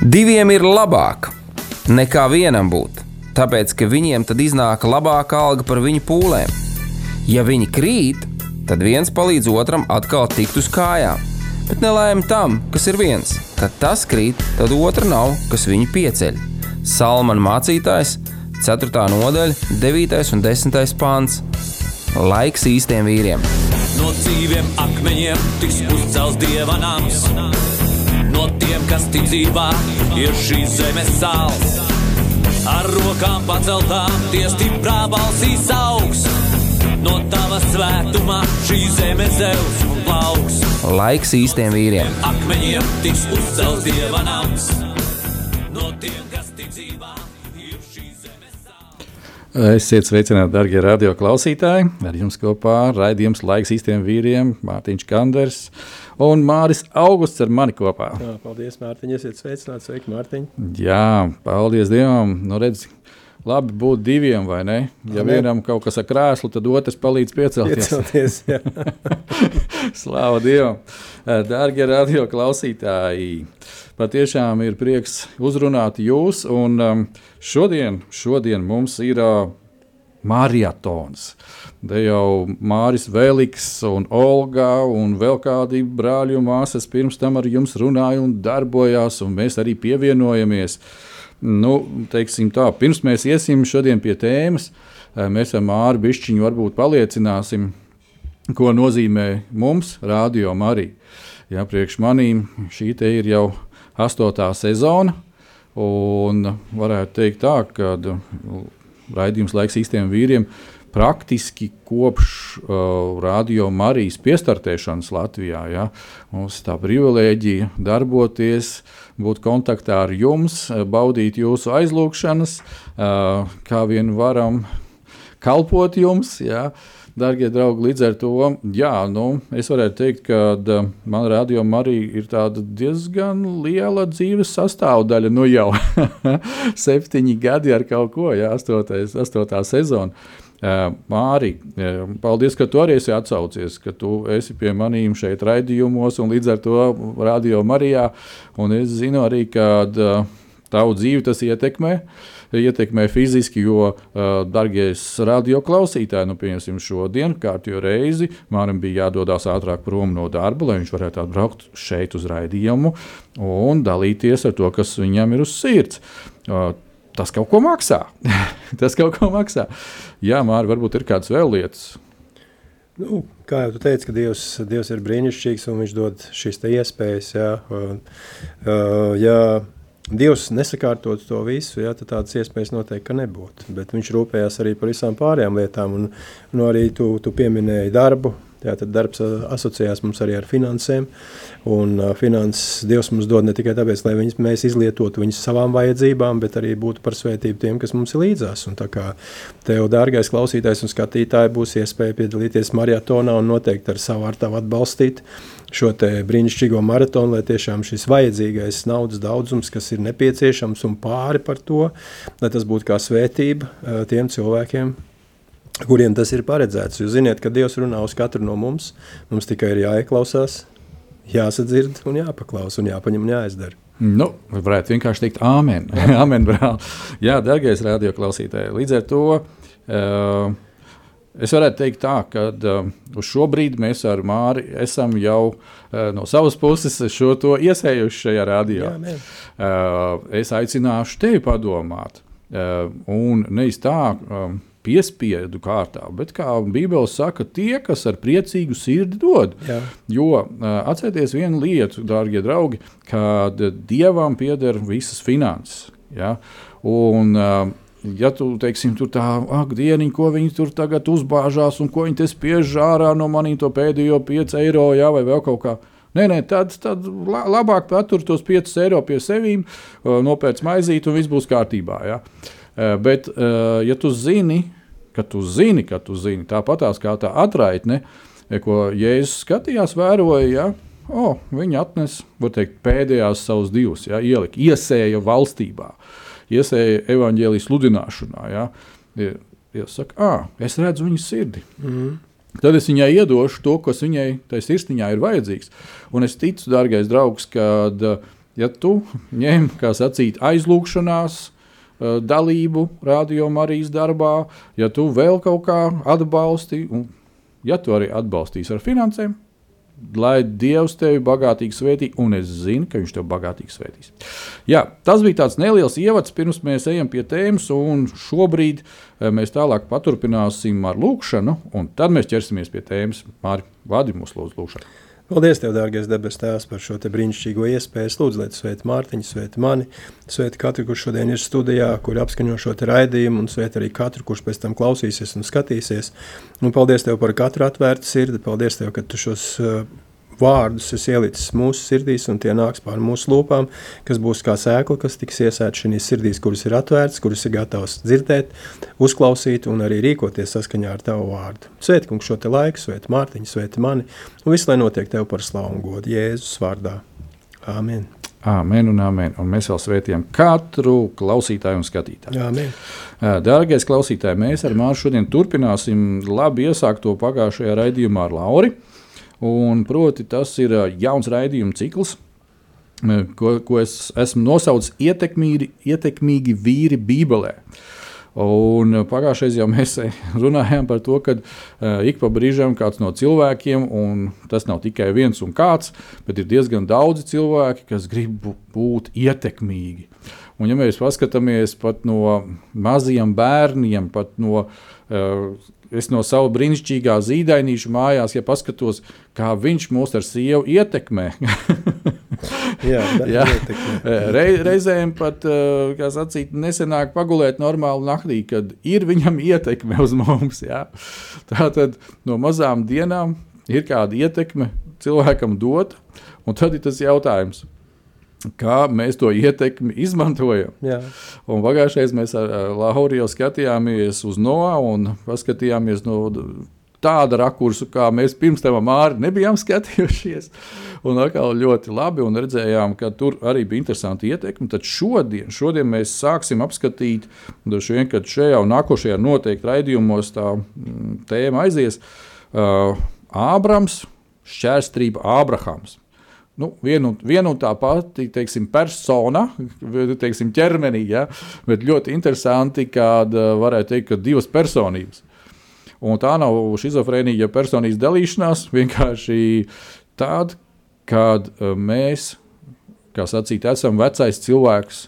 Diviem ir labāk nekā vienam būt, tāpēc, ka viņiem tad iznāk labāka alga par viņu pūlēm. Ja viņi krīt, tad viens palīdz otram atkal tikt uz kājām. Bet nelaime tam, kas ir viens. Kad tas krīt, tad otra nav, kas viņu pieceļ. Salmana mācītājs, 4. nodaļa, 9. un 10. pāns. Laiks īstiem vīriem. No dzīviem akmeņiem tiks uzcelts Dieva nams. No tiem, kas ticībā ir šīs zemes sāls. Ar rokām paceltām tie stiprā balsīs augs. No tava svētumā šī zeme zeus un plauks. Laiks īstiem vīriem. Akmeņiem tiks uzcelts Dieva nams. No tiem, kas ticībā ir šīs zemes sāls. Esiet sveicināti, darbie radio klausītāji. Ar jums kopā raidījums Laiks īstiem vīriem, Mārtiņš Kanders un Māris Augusts ar mani kopā. Jā, paldies, Mārtiņ, esiet sveicināti. Sveiki, Mārtiņ. Jā, paldies Dievam. Nu, redz, labi būt diviem, vai ne? Ja vienam kaut kas ar krēslu, tad otrs palīdz piecelties. Jā. Slāva Dievam. Dārgie radio klausītāji, patiešām ir prieks uzrunāt jūs, un šodien mums ir maratons. Te jau Māris Vēliks un Olga un vēl kādi brāļi un māsas pirms tam ar jums runāja un darbojās, un mēs arī pievienojamies. Nu, teiksim tā, pirms mēs iesim šodien pie tēmas, mēs ar Māri bišķiņu varbūt paliecināsim, ko nozīmē mums Radio Marija. Jā, priekš manīm šī te ir jau 8. sezona, un varētu teikt tā, ka raidījums Laiks īstiem vīriem praktiski kopš Radio Marijas piestartēšanas Latvijā. Ja, mums tā privilēģija darboties, būt kontaktā ar jums, baudīt jūsu aizlūgšanas, kā vien varam kalpot jums. Ja. Dargie draugi, līdz ar to, jā, es varētu teikt, ka man Radio Marija ir tāda diezgan liela dzīves sastāvdaļa, jau 7 gadi ar kaut ko, jā, 8. sezona. Māri, paldies, ka tu arī esi atsaucies, ka tu esi pie manīm šeit raidījumos un līdz ar to Radio Marijā, un es zinu arī, ka tavu dzīvi tas ietekmē fiziski, jo, dargies radio klausītāji, pieņemsim šodien, kārtējo reizi, Mārim bija jādodās ātrāk prom no darba, lai viņš varētu atbraukt šeit uz raidījumu un dalīties ar to, kas viņam ir uz sirds. Tas kaut ko maksā. Jā, Māri, varbūt ir kādas vēl lietas. Kā jau tu teici, ka Dievs ir brīnišķīgs un viņš dod šīs te iespējas, jā. Dievs nesakārtot to visu, tad tādas iespējas noteikti, ka nebūtu. Bet viņš rūpējās arī par visām pārējām lietām, un arī tu pieminēji darbu. Tad darbs asociējās mums arī ar finansēm, un finanses Dievs mums dod ne tikai tāpēc, lai mēs izlietotu viņus savām vajadzībām, bet arī būtu par svētību tiem, kas mums ir līdzās. Un tā kā tev, dārgais klausītājs un skatītāji, būs iespēja piedalīties maratonā un noteikti ar savu artavu atbalstīt šo te brīnišķīgo maratonu, lai tiešām šis vajadzīgais naudas daudzums, kas ir nepieciešams un pāri par to, lai tas būtu kā svētība tiem cilvēkiem, kuriem tas ir paredzēts. Jūs ziniet, ka Dievs runā uz katru no mums tikai ir jāieklausās, jāsadzird un jāpaklaus un jāpaņem un jāizdara. Varētu vienkārši teikt āmen. Āmen, brāl. Jā, dargais radio klausītāji, līdz ar to es varētu teikt tā, ka uz šo brīdi mēs ar Māri esam jau no savas puses šo to iesējuši šajā radio. Es aicināšu tevi padomāt un nevis tā piespiedu kārtā, bet kā Bībele saka, tie, kas ar priecīgu sirdi dod. Jā. Jo atcerieties vienu lietu, dārgie draugi, kad Dievam pieder visas finanses. Ja? Un ja tu, teiksim, tur tā, dieniņ, ko viņi tur tagad uzbāžās un ko viņi te spiež ārā no manī to pēdējo 5 eiro, ja, vai vēl kaut kā. Nē, tad labāk patur tos 5 eiro pie sevīm, nopēc maizīt un viss būs kārtībā. Ja? Bet, ja tu zini, tāpatās kā tā atraitne, ko Jēzus skatījās, vēroja, ja, viņi atnes, var teikt, pēdējās savus divus, ja, iesēja valstībā, iesēja evaņģēlijas sludināšanā, ja, saka, es redzu viņas sirdi. Tad es viņai iedošu to, kas viņai tai sirsniņā ir vajadzīgs. Un es ticu, dārgais draugs, kad ja tu ņem, kā sacīt, aizlūgšanās dalību Radio Marijas darbā, ja tu vēl kaut kā atbalsti, un ja tu arī atbalstīsi ar finansēm, lai Dievs tevi bagātīgi svētī, un es zinu, ka viņš tevi bagātīgi svētīs. Jā, tas bija tāds neliels ievads, pirms mēs ejam pie tēmas, un šobrīd mēs tālāk paturpināsim ar lūkšanu, un tad mēs ķersimies pie tēmas. Māri, vadi mūsu lūdzu lūkšanu. Paldies Tev, dārgais debes Tēvs, par šo te brīnišķīgo iespēju. Lūdzu, lai Tu svēti Mārtiņu, svēti mani, svēti katru, kurš šodien ir studijā, kur apskaņo šo te raidījumu, un svēti arī katru, kurš pēc tam klausīsies un skatīsies. Un paldies Tev par katru atvērtu sirdi, paldies Tev, ka Tu šos vārdus esi ielicis mūsu sirdīs, un tie nāks pār mūsu lūpām, kas būs kā sēkla, kas tiks iesēta šīs sirdīs, kuras ir atvērtas, kuras ir gatavas dzirdēt, uzklausīt un arī rīkoties saskaņā ar Tavu vārdu. Svēti, kungs, šo te laiku, svēti Mārtiņu, svēti mani, un viss, lai notiek Tev par slavu un godu Jēzus vārdā. Āmen. Āmen un āmen. Un mēs vēl svētījam katru klausītāju un skatītāju. Āmen. Dārgais klausītāji, mēs ar Māru šodien turpināsim labi iesākto pagājušajā raidījumā ar Lauri. Un, proti, tas ir jauns raidījuma cikls, ko es esmu nosaucis ietekmīgi vīri Bībelē. Un pagājušais jau mēs runājām par to, ka ik pa brīžam kāds no cilvēkiem, un tas nav tikai viens un kāds, bet ir diezgan daudzi cilvēki, kas grib būt ietekmīgi. Un ja mēs paskatāmies pat no maziem bērniem, pat no es no sava brīnišķīgā zīdainīša mājās, ja paskatos, kā viņš mūs ar sievu ietekmē. Jā. Reizēm pat, kā sacīt, nesenāk pagulēt normāli naktī, kad ir viņam ietekme uz mums. Jā. Tātad no mazām dienām ir kāda ietekme cilvēkam dot, un tad ir tas jautājums, kā mēs to ietekmi izmantojam. Jā. Un pagājušais mēs ar Lauri jau skatījāmies uz Noā un paskatījāmies no tāda rakursu, kā mēs pirms tam Māri nebijām skatījušies. Un atkal ļoti labi un redzējām, ka tur arī bija interesanti ietekmi. Tad šodien mēs sāksim apskatīt, kad šajā un nākošajā noteikti raidījumos tā tēma aizies, Ābrams, šķērstrība Ābrahams. Nu, viena un tā pati, teiksim, persona, teiksim, ķermenī, ja? Bet ļoti interesanti, kad varētu teikt, ka divas personības. Un tā nav šizofrēnija, personības dalīšanās, vienkārši tāda, kad mēs, kā sacīt, esam vecais cilvēks,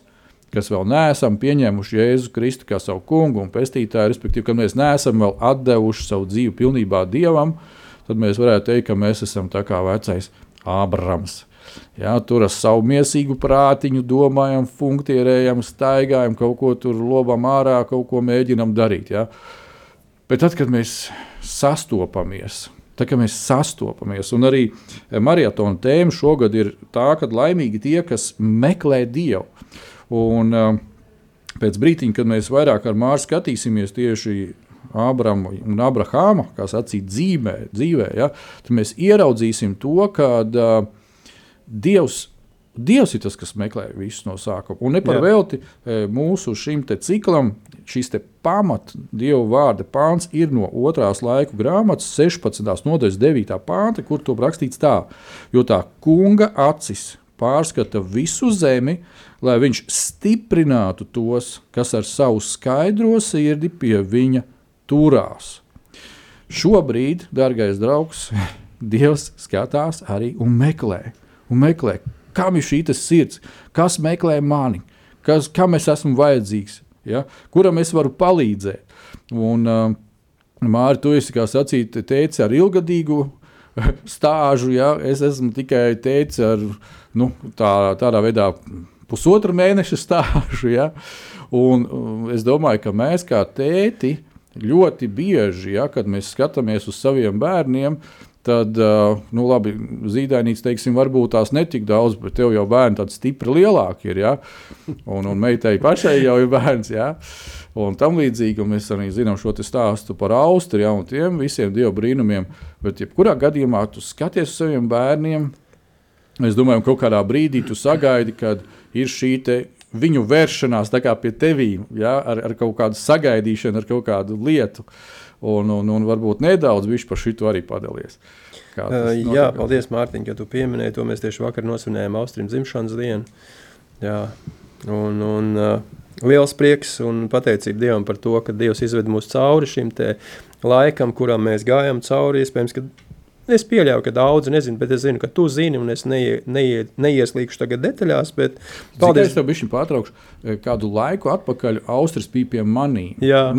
kas vēl neesam pieņēmuši Jēzu Kristu kā savu kungu un pestītāju, respektīvi, kad mēs neesam vēl atdevuši savu dzīvi pilnībā Dievam, tad mēs varētu teikt, ka mēs esam tā kā vecais Ābrams. Jā, tur ar savu miesīgu prātiņu domājam, funkcionējam, staigājam, kaut ko tur lobam ārā, kaut ko mēģinam darīt. Jā. Bet tad, kad mēs sastopamies, un arī maratona tēma šogad ir tā, ka laimīgi tie, kas meklē Dievu. Un pēc brītiņa, kad mēs vairāk ar Māru skatīsimies tieši Ābramu un Abrahāma, kā sacīt, dzīvē, ja, tad mēs ieraudzīsim to, ka Dievs ir tas, kas meklē visus no sākuma. Un neparvelti mūsu šim te ciklam, šis te pamat Dieva vārda pāns ir no 2. laiku grāmatas 16. nodaļas 9. pānta, kur to rakstīts tā, jo tā kunga acis pārskata visu zemi, lai viņš stiprinātu tos, kas ar savu skaidro sirdi pie viņa turās. Šobrīd, dargais draugs, Dievs skatās arī un meklē, kam ir šī sirds, kas meklē mani, kam es esmu vajadzīgs, ja? Kuram es varu palīdzēt. Un, Māri, tu esi, kā sacīt, teici ar ilgadīgu stāžu, ja? Es esmu tikai teici ar tādā veidā 1,5 mēneša stāžu. Ja? Un es domāju, ka mēs kā tēti ļoti bieži, ja, kad mēs skatāmies uz saviem bērniem, tad, labi, zīdainīts, teiksim, varbūt tās netik daudz, bet tev jau bērni tādi stipri lielāki ir, ja, un meitai pašai jau ir bērns, ja, un tam līdzīgi, un mēs arī zinām šo te stāstu par Austru, ja, un tiem visiem Dieva brīnumiem, bet jebkurā gadījumā tu skaties uz saviem bērniem, es domāju, kaut kādā brīdī tu sagaidi, kad ir šī te viņu vēršanās tā kā pie tevīm, ja, ar kaut kādu sagaidīšanu, ar kaut kādu lietu, un varbūt nedaudz viņš par šito arī padalies. Jā, paldies, Mārtiņ, ka tu pieminēji to. Mēs tieši vakar nosvinējām Austrim dzimšanas dienu. Jā, un liels prieks un pateicība Dievam par to, ka Dievs izved mūs cauri šim te laikam, kuram mēs gājam cauri. Iespējams, ka es pieļauju, ka daudzi nezinu, bet es zinu, ka tu zini, un es neieslīgšu tagad detaļās, bet paldies. Es tev bišķiņ pārtraukšu. Kādu laiku atpakaļ Austris bija pie manī. Jā,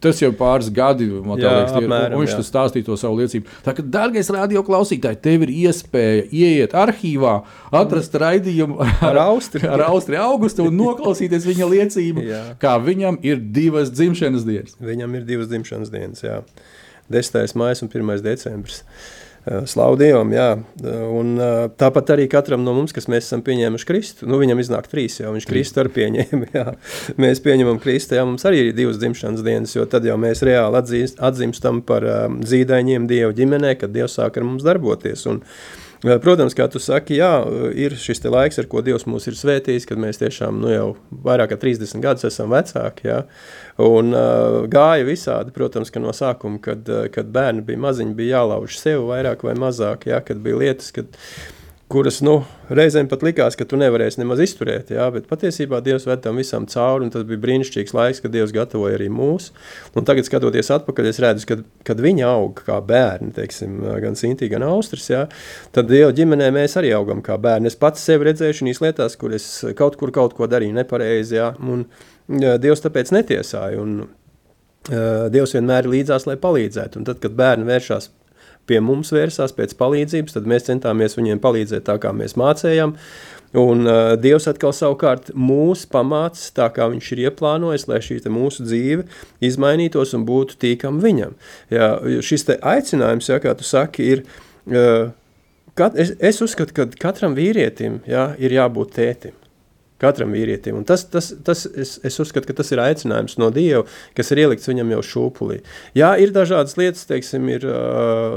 tas jau pāris gadi, man tā liekas, apmēram, un viņš tas stāstīja to savu liecību. Tā ka, dārgais radio klausītāji, tev ir iespēja ieiet arhīvā, atrast raidījumu ar Austri Augustu un noklausīties viņa liecību, kā viņam ir 2 dzimšanas dienas. Viņam ir 2 dzimšanas dienas, jā. 10. maijs un 1. decembris. Slavu Dievam, jā. Un tāpat arī katram no mums, kas mēs esam pieņēmuši Kristu, viņam iznāk 3, jā, viņš Kristu arī pieņēma, jā. Mēs pieņemam Kristu, jā, mums arī ir 2 dzimšanas dienas, jo tad jau mēs reāli atzimstam par zīdaiņiem Dieva ģimenē, kad Dievs sāk ar mums darboties. Un, protams, kā tu saki, jā, ir šis te laiks, ar ko Dievs mūs ir svētījis, kad mēs tiešām jau vairāk kā 30 gadus esam vecāki, jā, un gāja visādi, protams, ka no sākuma, kad bērni bija maziņi, bija jālauž sev vairāk vai mazāk, jā, kad bija lietas, kuras, reizēm pat likās, ka tu nevarēsi nemaz izturēt, jā, bet patiesībā Dievs ved tam visam cauri, un tas bija brīnišķīgs laiks, kad Dievs gatavoja arī mūs, un tagad skatoties atpakaļ, es redzu, kad viņi aug kā bērni, teiksim, gan Sintī, gan Austris, jā, tad Dieva ģimenē mēs arī augam kā bērni. Es pats sevi redzēju šīs lietās, kur es kaut ko darīju nepareizi, jā, un Dievs tāpēc netiesāja, un Dievs vienmēr ir līdzās, lai palīdzētu, un tad, kad bērni vēršās pie mums vērsās pēc palīdzības, tad mēs centāmies viņiem palīdzēt tā, kā mēs mācējām, un Dievs atkal savukārt mūs pamāca tā, kā viņš ir ieplānojis, lai šī te mūsu dzīve izmainītos un būtu tīkam viņam. Jā, šis te aicinājums, jā, kā tu saki, ir, es uzskatu, ka katram vīrietim, jā, ir jābūt tētim. Katram vīrietim. Un es uzskatu, ka tas ir aicinājums no Dieva, kas ir ielikts viņam jau šūpulī. Jā, ir dažādas lietas, teiksim, ir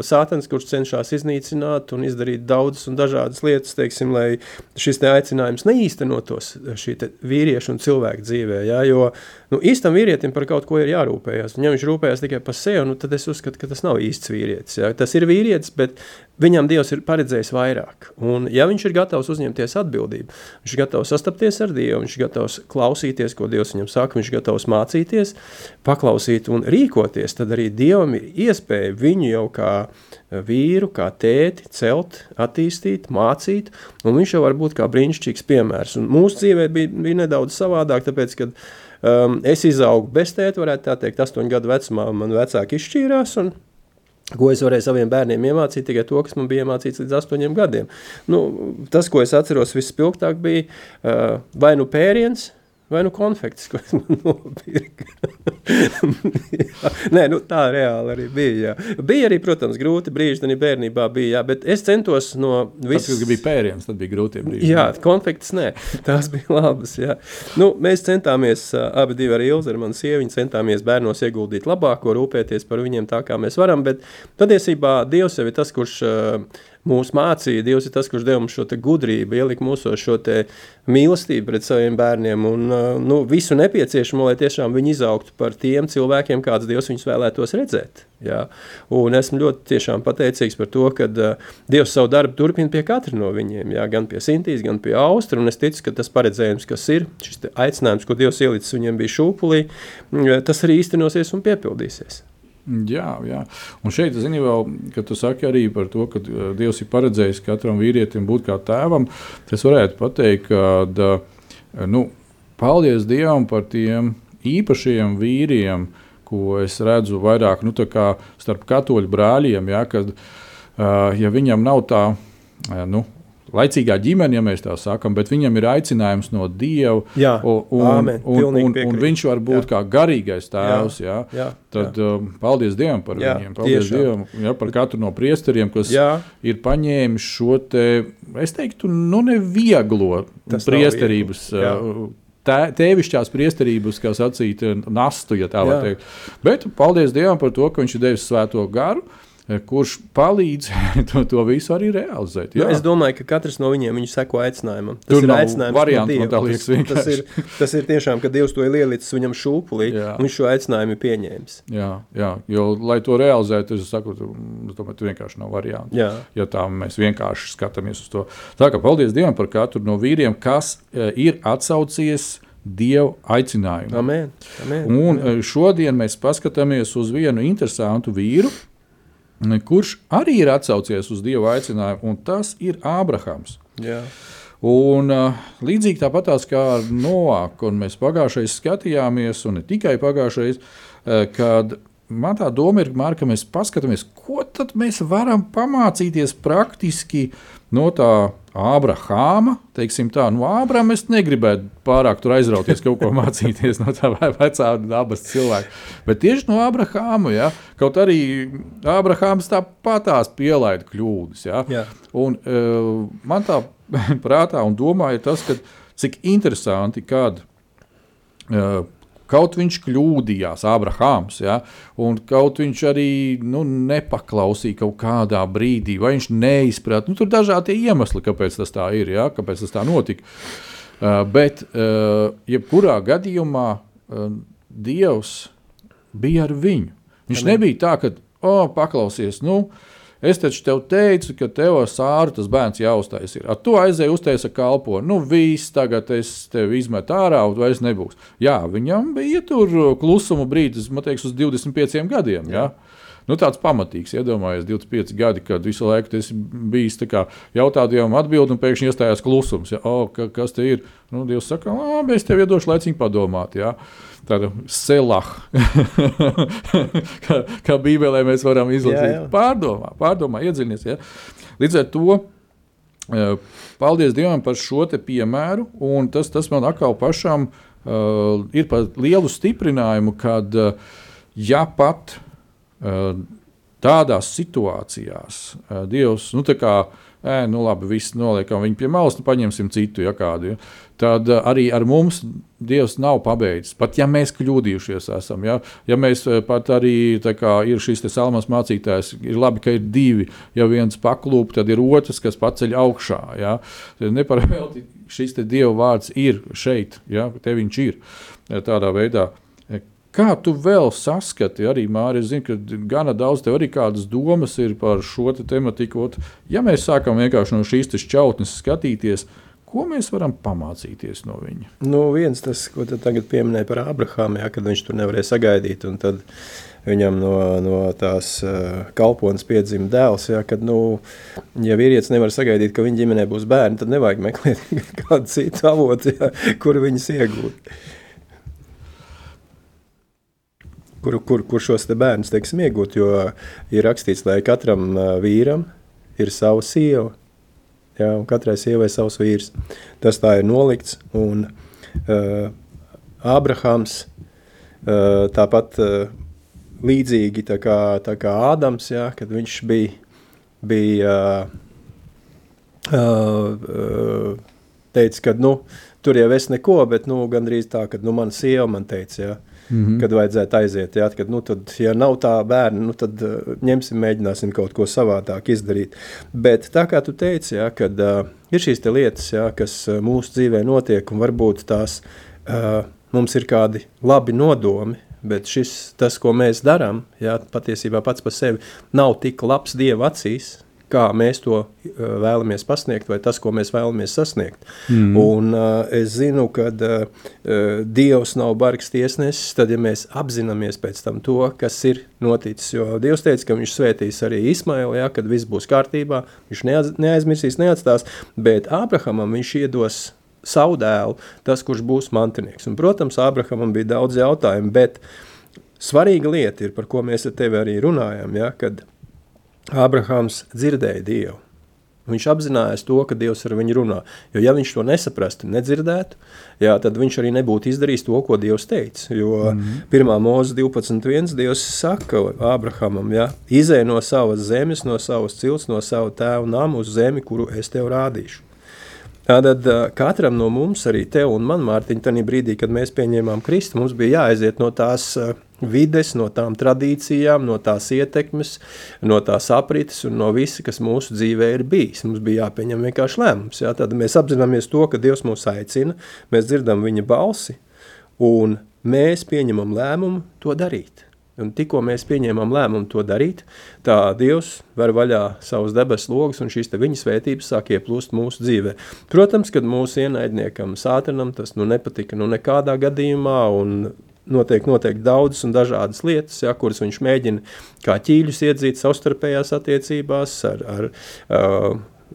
sātans, kurš cenšas iznīcināt un izdarīt daudzas un dažādas lietas, teiksim, lai šis te aicinājums neīstenotos šī te vīriešu un cilvēku dzīvē, jā, jo īstam vīrietim par kaut ko ir jārūpējās. Ja viņš rūpējās tikai par sevi, tad es uzskatu, ka tas nav īsts vīrietis. Jā. Tas ir vīrietis, bet viņam Dievs ir paredzējis vairāk. Un ja viņš ir gatavs uzņemties atbildību, viņš ir gatavs sastapties ar Dievu, viņš ir gatavs klausīties, ko Dievs viņam saka, viņš ir gatavs mācīties, paklausīt un rīkoties, tad arī Dievam ir iespēja viņu jau kā vīru, kā tēti celt, attīstīt, mācīt, un viņš jau var būt kā brīnišķīgs piemērs. Un mūsu dzīvē bija nedaudz savādāk, tāpēc, kad es izaugu bez tēta, varētu tā teikt, 8 gadu vecumā man vecāki izšķīrās, un ko es varēju saviem bērniem iemācīt, tikai to, kas man bija iemācīts līdz 8 gadiem. Tas, ko es atceros vispilgtāk, bija vai nu pēriens, vai nu konfekts, ko es man nopirku. Nē, tā reāli arī bija, jā. Bija arī, protams, grūti brīži, tad bērnībā bija, jā, bet es centos no visas... Tas, kas bija pēriens, tad bija grūtie brīži. Jā, konfekts nē, tās bija labas, jā. Mēs centāmies, abi divi ar Ilzi, ar manu sieviņu, centāmies bērnos ieguldīt labāko, rūpēties par viņiem tā, kā mēs varam, bet patiesībā Dievs jau ir tas, kurš mūs mācīja, Dievs ir tas, kurš deva mums šo te gudrību, ielika mūsos šo te mīlestību pret saviem bērniem un visu nepieciešamo, lai tiešām viņi izaugtu par tiem cilvēkiem, kāds Dievs viņus vēlētos redzēt. Jā. Un esmu ļoti tiešām pateicīgs par to, ka Dievs savu darbu turpina pie katra no viņiem, jā, gan pie Sintīs, gan pie Austra, un es ticu, ka tas paredzējums, kas ir, šis te aicinājums, ko Dievs ielicis viņiem bija šūpulī, tas arī īstenosies un piepildīsies. Jā. Un šeit, zini vēl, kad tu saki arī par to, ka Dievs ir paredzējis katram vīrietim būt kā tēvam, es varētu pateikt, ka, paldies Dievam par tiem īpašiem vīriem, ko es redzu vairāk, tā kā starp katoļu brāļiem, ja, kad, ja viņam nav tā, laicīgā ģimene, ja mēs tā sakam, bet viņam ir aicinājums no Dieva, un viņš var būt kā garīgais tēvs, tad paldies Dievam par viņiem, paldies Dievam par katru no priesteriem, kas ir paņēmis šo te, es teiktu, nevieglo priesterības, tēvišķās priesterības, kā sacīt, nastu, ja tā var teikt. Bet paldies Dievam par to, ka viņš ir devis svēto garu, kurš palīdz to visu arī realizēt. Jā. Es domāju, ka katrs no viņu seko aicinājumam. Tas ir aicinājums variants, man tā liekas vienkārši. Tas ir tiešām, ka Dievs to ir ielicis viņam šūpulī, un viņš šo aicinājumu ir pieņēmis. Jā, jo, lai to realizētu, es saku, tu vienkārši nav variantu. Ja tā mēs vienkārši skatāmies uz to. Tā kā paldies Dievam par katru no vīriem, kas ir atsaucies Dieva aicinājumu. Amen. Un šodien mēs paskatāmies uz vienu interesantu vīru, kurš arī ir atsaucies uz Dieva aicinājumu, un tas ir Ābrahams. Jā. Un līdzīgi tāpatās kā ar Noāku, un mēs pagājušais skatījāmies, un ne tikai pagājušais, kad man tā doma ir, Mārka, ka mēs paskatāmies, ko tad mēs varam pamācīties praktiski no tā Ābrahāma, teiksim tā, no Ābrahama es negribētu pārāk tur aizrauties kaut ko mācīties no tā vecā dabas cilvēka, bet tieši no Ābrahāma, ja, kaut arī Ābrahāms tāpatās pielaida kļūdas, ja, un man tā prātā un domā ir tas, ka cik interesanti, kad kaut viņš kļūdījās, Ābrahāms, ja, un kaut viņš arī nepaklausīja kaut kādā brīdī, vai viņš neizprata. Tur dažādi iemesli, kāpēc tas tā ir, ja, kāpēc tas tā notika. Bet jebkurā gadījumā Dievs bija ar viņu. Viņš nebija tā, ka, paklausies, es taču tev teicu, ka tev ar Sāru tas bērns jāuztais ir. Tu aizēji uztaisa kalpo. Viss, tagad es tevi izmetu ārā, un vairs nebūs. Jā, viņam bija tur klusumu brīdis, man teiks, uz 25 gadiem, jā. Tāds pamatīgs, iedomājies, 25 gadi, kad visu laiku tas bijis tā kā jautājumam atbildi, un pēkšņi iestājās klusums. Ja? Kas te ir? Dievs saka, es tev iedošu laiciņu padomāt, jā. Tāda selah, kā Bībelē mēs varam izlasīt. Pārdomā, iedziļinies. Ja? Līdz ar to, paldies Dievam par šo te piemēru, un tas man atkal pašam ir par lielu stiprinājumu, kad ja pat tādās situācijās Dievs, labi, viss noliekam viņu pie malas, paņemsim citu, ja kādu, ja. Tad arī ar mums Dievs nav pabeidzis, pat ja mēs kļūdījušies esam, ja mēs pat arī, tā kā ir šis te salmas mācītājs, ir labi, ka ir divi, ja viens paklūp, tad ir otrs, kas paceļ augšā, ja. Neparvēlti šis te Dieva vārds ir šeit, ja, te viņš ir, tādā veidā. Kā tu vēl saskati, arī Māri, es zinu, ka gana daudz tev arī kādas domas ir par šo te tematiku. Ja mēs sākam vienkārši no šīs te šķautnes skatīties, ko mēs varam pamācīties no viņa? Viens tas, ko tu tagad pieminēji par Ābrahāmu, kad viņš tur nevarēja sagaidīt, un tad viņam no tās kalpones piedzima dēls, kad, ja vīrietis nevar sagaidīt, ka viņa ģimenē būs bērni, tad nevajag meklēt kādu citu avotu, kur viņas iegūt. Kur šos te bērnus, teiksim, iegūt, jo ir rakstīts, lai katram vīram ir sava sieva, jā, un katrai sievai savs vīrs. Tas tā ir nolikts, un Ābrahams tāpat līdzīgi tā kā Ādams, jā, kad viņš bija teica, ka, tur jau es neko, bet, gandrīz tā, kad, mana sieva man teica, jā, kad vajadzētu aiziet, jā, kad, tad, ja nav tā bērni, tad mēģināsim kaut ko savādāk izdarīt. Bet tā kā tu teici, jā, kad ir šīs te lietas, jā, kas mūsu dzīvē notiek, un varbūt tās mums ir kādi labi nodomi, bet tas, ko mēs darām, jā, patiesībā pats par sevi nav tik labs Dieva acīs, kā mēs to vēlamies pasniegt, vai tas, ko mēs vēlamies sasniegt. Un es zinu, ka Dievs nav bargs tiesnesis, tad, ja mēs apzināmies pēc tam to, kas ir noticis, jo Dievs teica, ka viņš svētīs arī Ismailu, ja, kad viss būs kārtībā, viņš neaizmirsīs, neatstās, bet Ābrahamam viņš iedos savu dēlu, tas, kurš būs mantinieks. Un, protams, Ābrahamam bija daudz jautājumu, bet svarīga lieta ir, par ko mēs ar tevi arī runājam, ja, kad Ābrahams dzirdēja Dievu. Viņš apzinājās to, ka Dievs ar viņu runā. Jo ja viņš to nesaprastu, nedzirdētu, jā, tad viņš arī nebūtu izdarījis to, ko Dievs teica. Jo 1. Mūzes 12.1 Dievs saka Ābrahamam, jā, izej no savas zemes, no savas cilts, no savu tēvu namu uz zemi, kuru es tev rādīšu. Tātad katram no mums, arī tev un man, Mārtiņ, tādā brīdī, kad mēs pieņēmām Kristu, mums bija jāaiziet no tās vides, no tām tradīcijām, no tās ietekmes, no tās aprites un no visa, kas mūsu dzīvē ir bijis. Mums bija jāpieņem vienkārši lēmums. Ja? Tad mēs apzināmies to, ka Dievs mūs aicina, mēs dzirdam viņa balsi un mēs pieņemam lēmumu to darīt. Un tikko mēs pieņēmām lēmumu to darīt, tā Dievs ver vaļā savus debesu logus un šīs te viņa svētības sāk ieplūst mūsu dzīvē. Protams, kad mūsu ienaidniekam Sātanam tas nepatika nekādā gadījumā un notiek daudzas un dažādas lietas, ja, kuras viņš mēģina kā ķīļus iedzīt savstarpējās attiecībās ar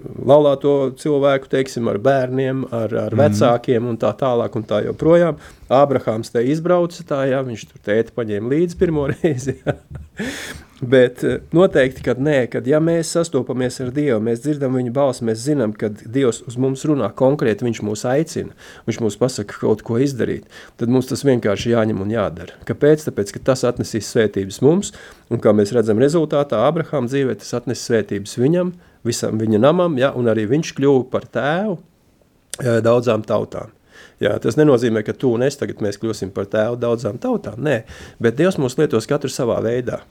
laulāto cilvēku, teiksim, ar bērniem, ar vecākiem un tā tālāk un tā joprojām. Ābrahāms te izbrauca tā, jā, viņš tur tēti paņēma līdzi pirmo reizi, jā. Bet noteikti, kad ja mēs sastopamies ar Dievu, mēs dzirdam viņa balsi, mēs zinām, kad Dievs uz mums runā konkrēti, viņš mūs aicina, viņš mūs pasaka kaut ko izdarīt, tad mums tas vienkārši jāņem un jādara. Kāpēc? Tāpēc, ka tas atnesīs svētības mums, un kā mēs redzam rezultātā, Ābrahāma dzīvē tas atnes svētības viņam, visam viņa namam, ja, un arī viņš kļuva par tēvu daudzām tautām. Jā, tas nenozīmē, ka tu un es tagad mēs kļūsim par tēvu daudzām tautām, nē, bet Dievs mūs lietos katru savā veidā.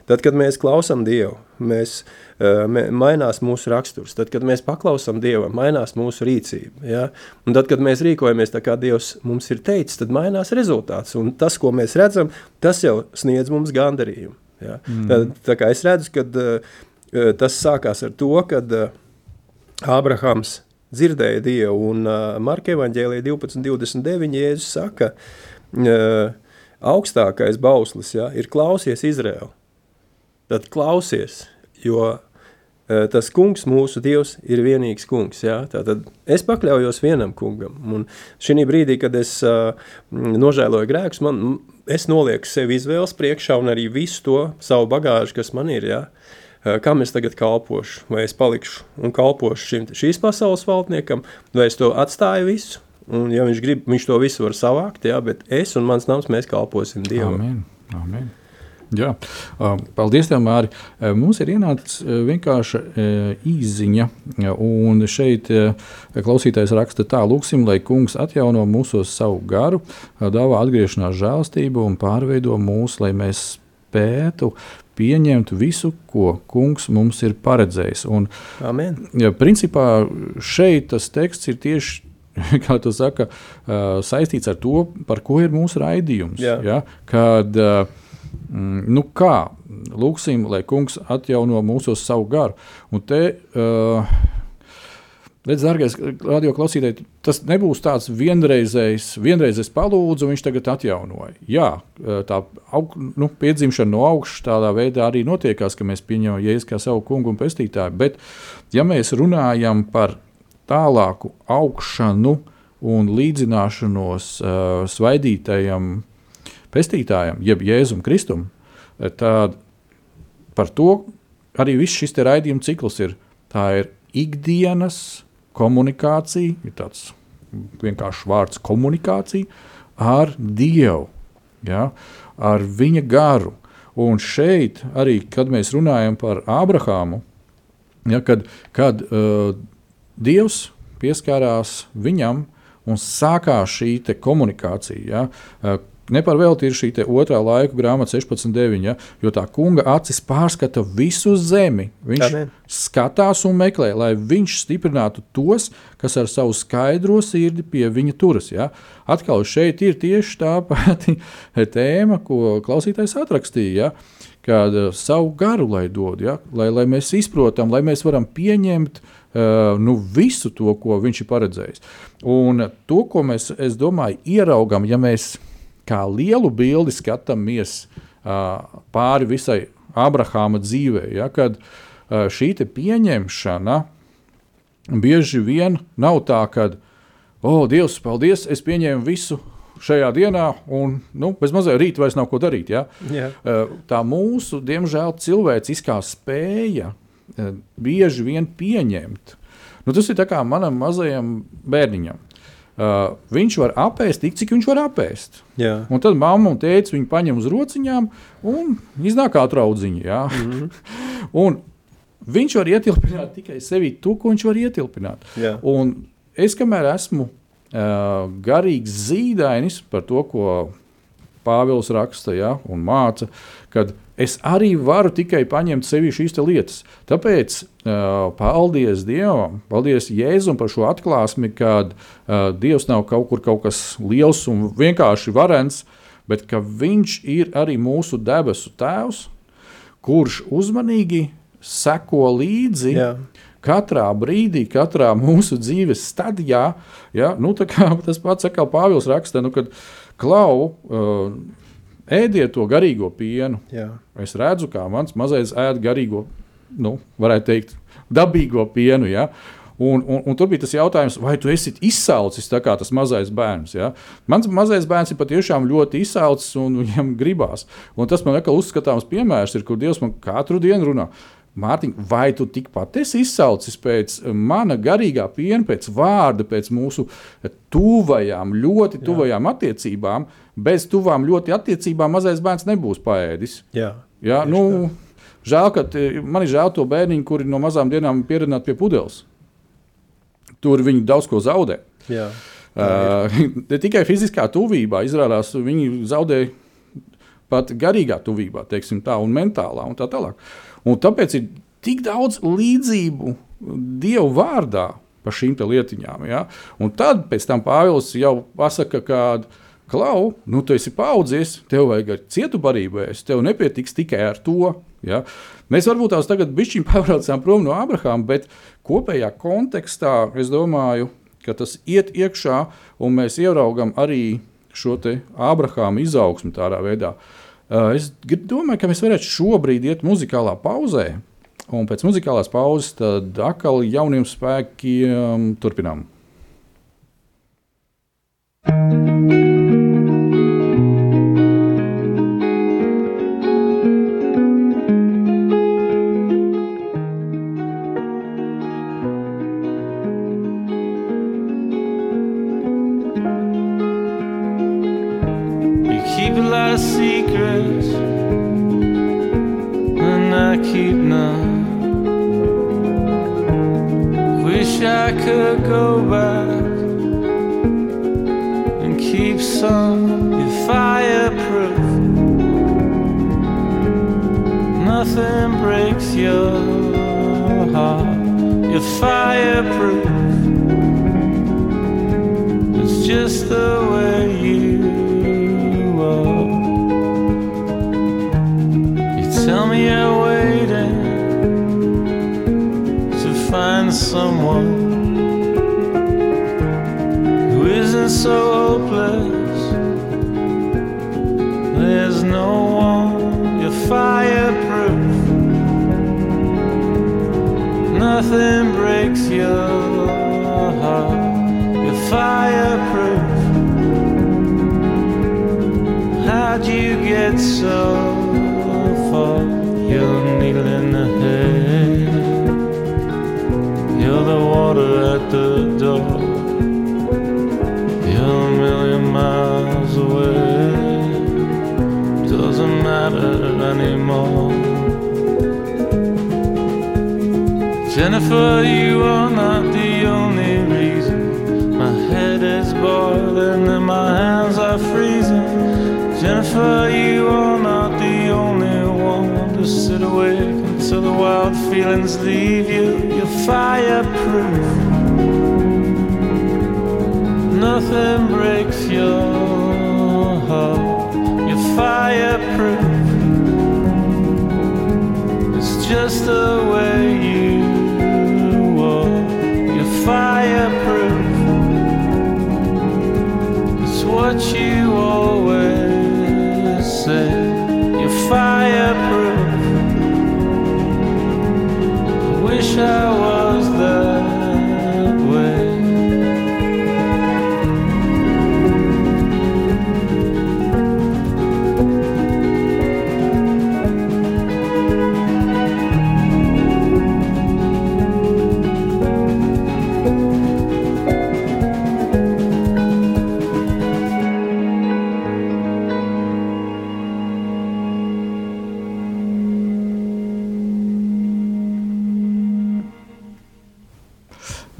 Tad, kad mēs klausām Dievu, mainās mūsu raksturs. Tad, kad mēs paklausām Dievam, mainās mūsu rīcība. Ja? Un tad, kad mēs rīkojamies tā, kā Dievs mums ir teicis, tad mainās rezultāts. Un tas, ko mēs redzam, tas jau sniedz mums gandarījumu. Ja? Tā kā es redzu, kad tas sākās ar to, kad Ābrahams dzirdēja Dievu, un Marka evaņģēlija 12:29 Jēzus saka, augstākais bauslis, ja, ir klausies Izraēlu. Tad klausies, jo tas kungs, mūsu Dievs, ir vienīgs kungs. Ja? Tātad es pakļaujos vienam kungam. Un šī brīdī, kad es nožēloju grēkus, es nolieku sevi izvēles priekšā un arī visu to savu bagāžu, kas man ir. Ja? Kam es tagad kalpošu? Vai es palikšu un kalpošu šīs pasaules valdniekam, vai es to atstāju visu? Un ja viņš grib, viņš to visu var savākt, ja? Bet es un mans nams, mēs kalposim Dievam. Amen. Amen. Jā, paldies tev, Māri. Mums ir ienācis vienkārši īsziņa, un šeit klausītājs raksta tā: lūksim, lai kungs atjauno mūsos savu garu, dāvā atgriešanās žēlastību un pārveido mūs, lai mēs spētu pieņemt visu, ko kungs mums ir paredzējis. Un, Amen. Principā šeit tas teksts ir tieši, kā tu saka, saistīts ar to, par ko ir mūsu raidījums. Ja? Kad kā lūksim, lai kungs atjauno mūsos savu garu. Un te, redz, dārgais radio klausītāji, tas nebūs tāds vienreiz es palūdzu, viņš tagad atjaunoja. Jā, tā piedzimšana no augšas tādā veidā arī notiekās, ka mēs pieņemam Jēzu kā savu kungu un pestītāju, bet ja mēs runājam par tālāku augšanu un līdzināšanos svaidītajam pestītājam, jeb Jēzum Kristum, tad par to arī viss šis te raidījuma cikls ir. Tā ir ikdienas komunikācija, ir tāds vienkārši vārds komunikācija ar Dievu, ja, ar viņa garu. Un šeit arī, kad mēs runājam par Ābrahāmu, ja, kad Dievs pieskārās viņam un sākās šī te komunikācija, ja, neparvēlti ir šī te otrā laiku grāmata 16:9, ja, jo tā kunga acis pārskata visu zemi. Viņš skatās un meklē, lai viņš stiprinātu tos, kas ar savu skaidro sirdi pie viņa turas. Ja. Atkal šeit ir tieši tā pati tēma, ko klausītājs atrakstīja, ja, kad savu garu lai dod, ja, lai mēs izprotam, lai mēs varam pieņemt visu to, ko viņš ir paredzējis. Un to, ko mēs, es domāju, ieraugam, ja mēs kā lielu bildi skatāmies pāri visai Ābrahāma dzīvē, ja, kad šī te pieņemšana bieži vien nav tā, kad, Dievs, paldies, es pieņēmu visu šajā dienā, un bez mazliet rīt vairs nav ko darīt. Ja? Yeah. Tā mūsu, diemžēl, cilvēciskā spēja bieži vien pieņemt. Tas ir tā kā manam mazajam bērniņam. Viņš var apēst tik, cik viņš var apēst. Jā. Un tad mamma un tētis viņu paņem uz rociņām un iznāk kā traudziņi. Ja? Un viņš var ietilpināt tikai sevi to, ko viņš var ietilpināt. Jā. Un es, kamēr esmu garīgs zīdainis par to, ko Pāvils raksta, ja, un māca, kad es arī varu tikai paņemt sevī šīs lietas. Tāpēc paldies Dievam, paldies Jēzum par šo atklāsmi, kad Dievs nav kaut kas liels un vienkārši varens, bet ka viņš ir arī mūsu debesu tēvs, kurš uzmanīgi seko līdzi katrā brīdī, katrā mūsu dzīves stadijā. Ja, tā kā tas pats atkal Pāvils raksta, kad klau, ēdiet to garīgo pienu. Jā. Es redzu, kā mans mazais ēd garīgo, varētu teikt, dabīgo pienu. Ja? Un tur bija tas jautājums, vai tu esi izsalcis tā kā tas mazais bērns. Ja? Mans mazais bērns ir patiešām ļoti izsalcis un viņam gribās. Un tas man atkal uzskatāms piemērs ir, kur Dievs man katru dienu runā. Mārtiņ, vai tu tikpat esi izsalcis pēc mana garīgā piena, pēc vārda, pēc mūsu ļoti tuvajām attiecībām? Bez tuvām ļoti attiecībām mazais bērns nebūs paēdis. Jā, žēl, ka man ir žēl to bērniņu, kuri no mazām dienām pieradināti pie pudeles. Tur viņi daudz ko zaudē. Jā, ne tikai fiziskā tuvībā, izrādās, viņi zaudē pat garīgā tuvībā, teiksim tā, un mentālā un tā tālāk. Un tāpēc ir tik daudz līdzību Dievu vārdā par šīm lietiņām. Ja? Un tad pēc tam Pāvils jau pasaka, ka klau, tu esi paaudzies, tev vajag ar cietu barību ēst, tev nepietiks tikai ar to. Ja? Mēs varbūt tās tagad bišķiņ pavraucām prom no Abrahama, bet kopējā kontekstā es domāju, ka tas iet iekšā un mēs ieraugam arī šo te Abrahama izaugsmi tādā veidā. Es domāju, ka mēs varētu šobrīd iet muzikālā pauzē, un pēc muzikālās pauzes tad atkal jauniem spēkiem turpinām. I could go back and keep some fireproof. Nothing breaks your heart. You're fireproof. It's just the way you are. You tell me you're waiting to find someone who isn't so hopeless. There's no one. You're fireproof. Nothing breaks your heart. You're fireproof. How'd you get so far? You're a needle in the hay. You're the water at the door. You're a million miles away. Doesn't matter anymore. Jennifer, you are not the only reason my head is boiling and my hands are freezing. Jennifer, you are not the only one to sit awake until the wild feelings leave you. You're fireproof. Nothing breaks your heart. You're fireproof. It's just the way you are. You're fireproof. It's what you always say. You're fireproof. I wish I was that way.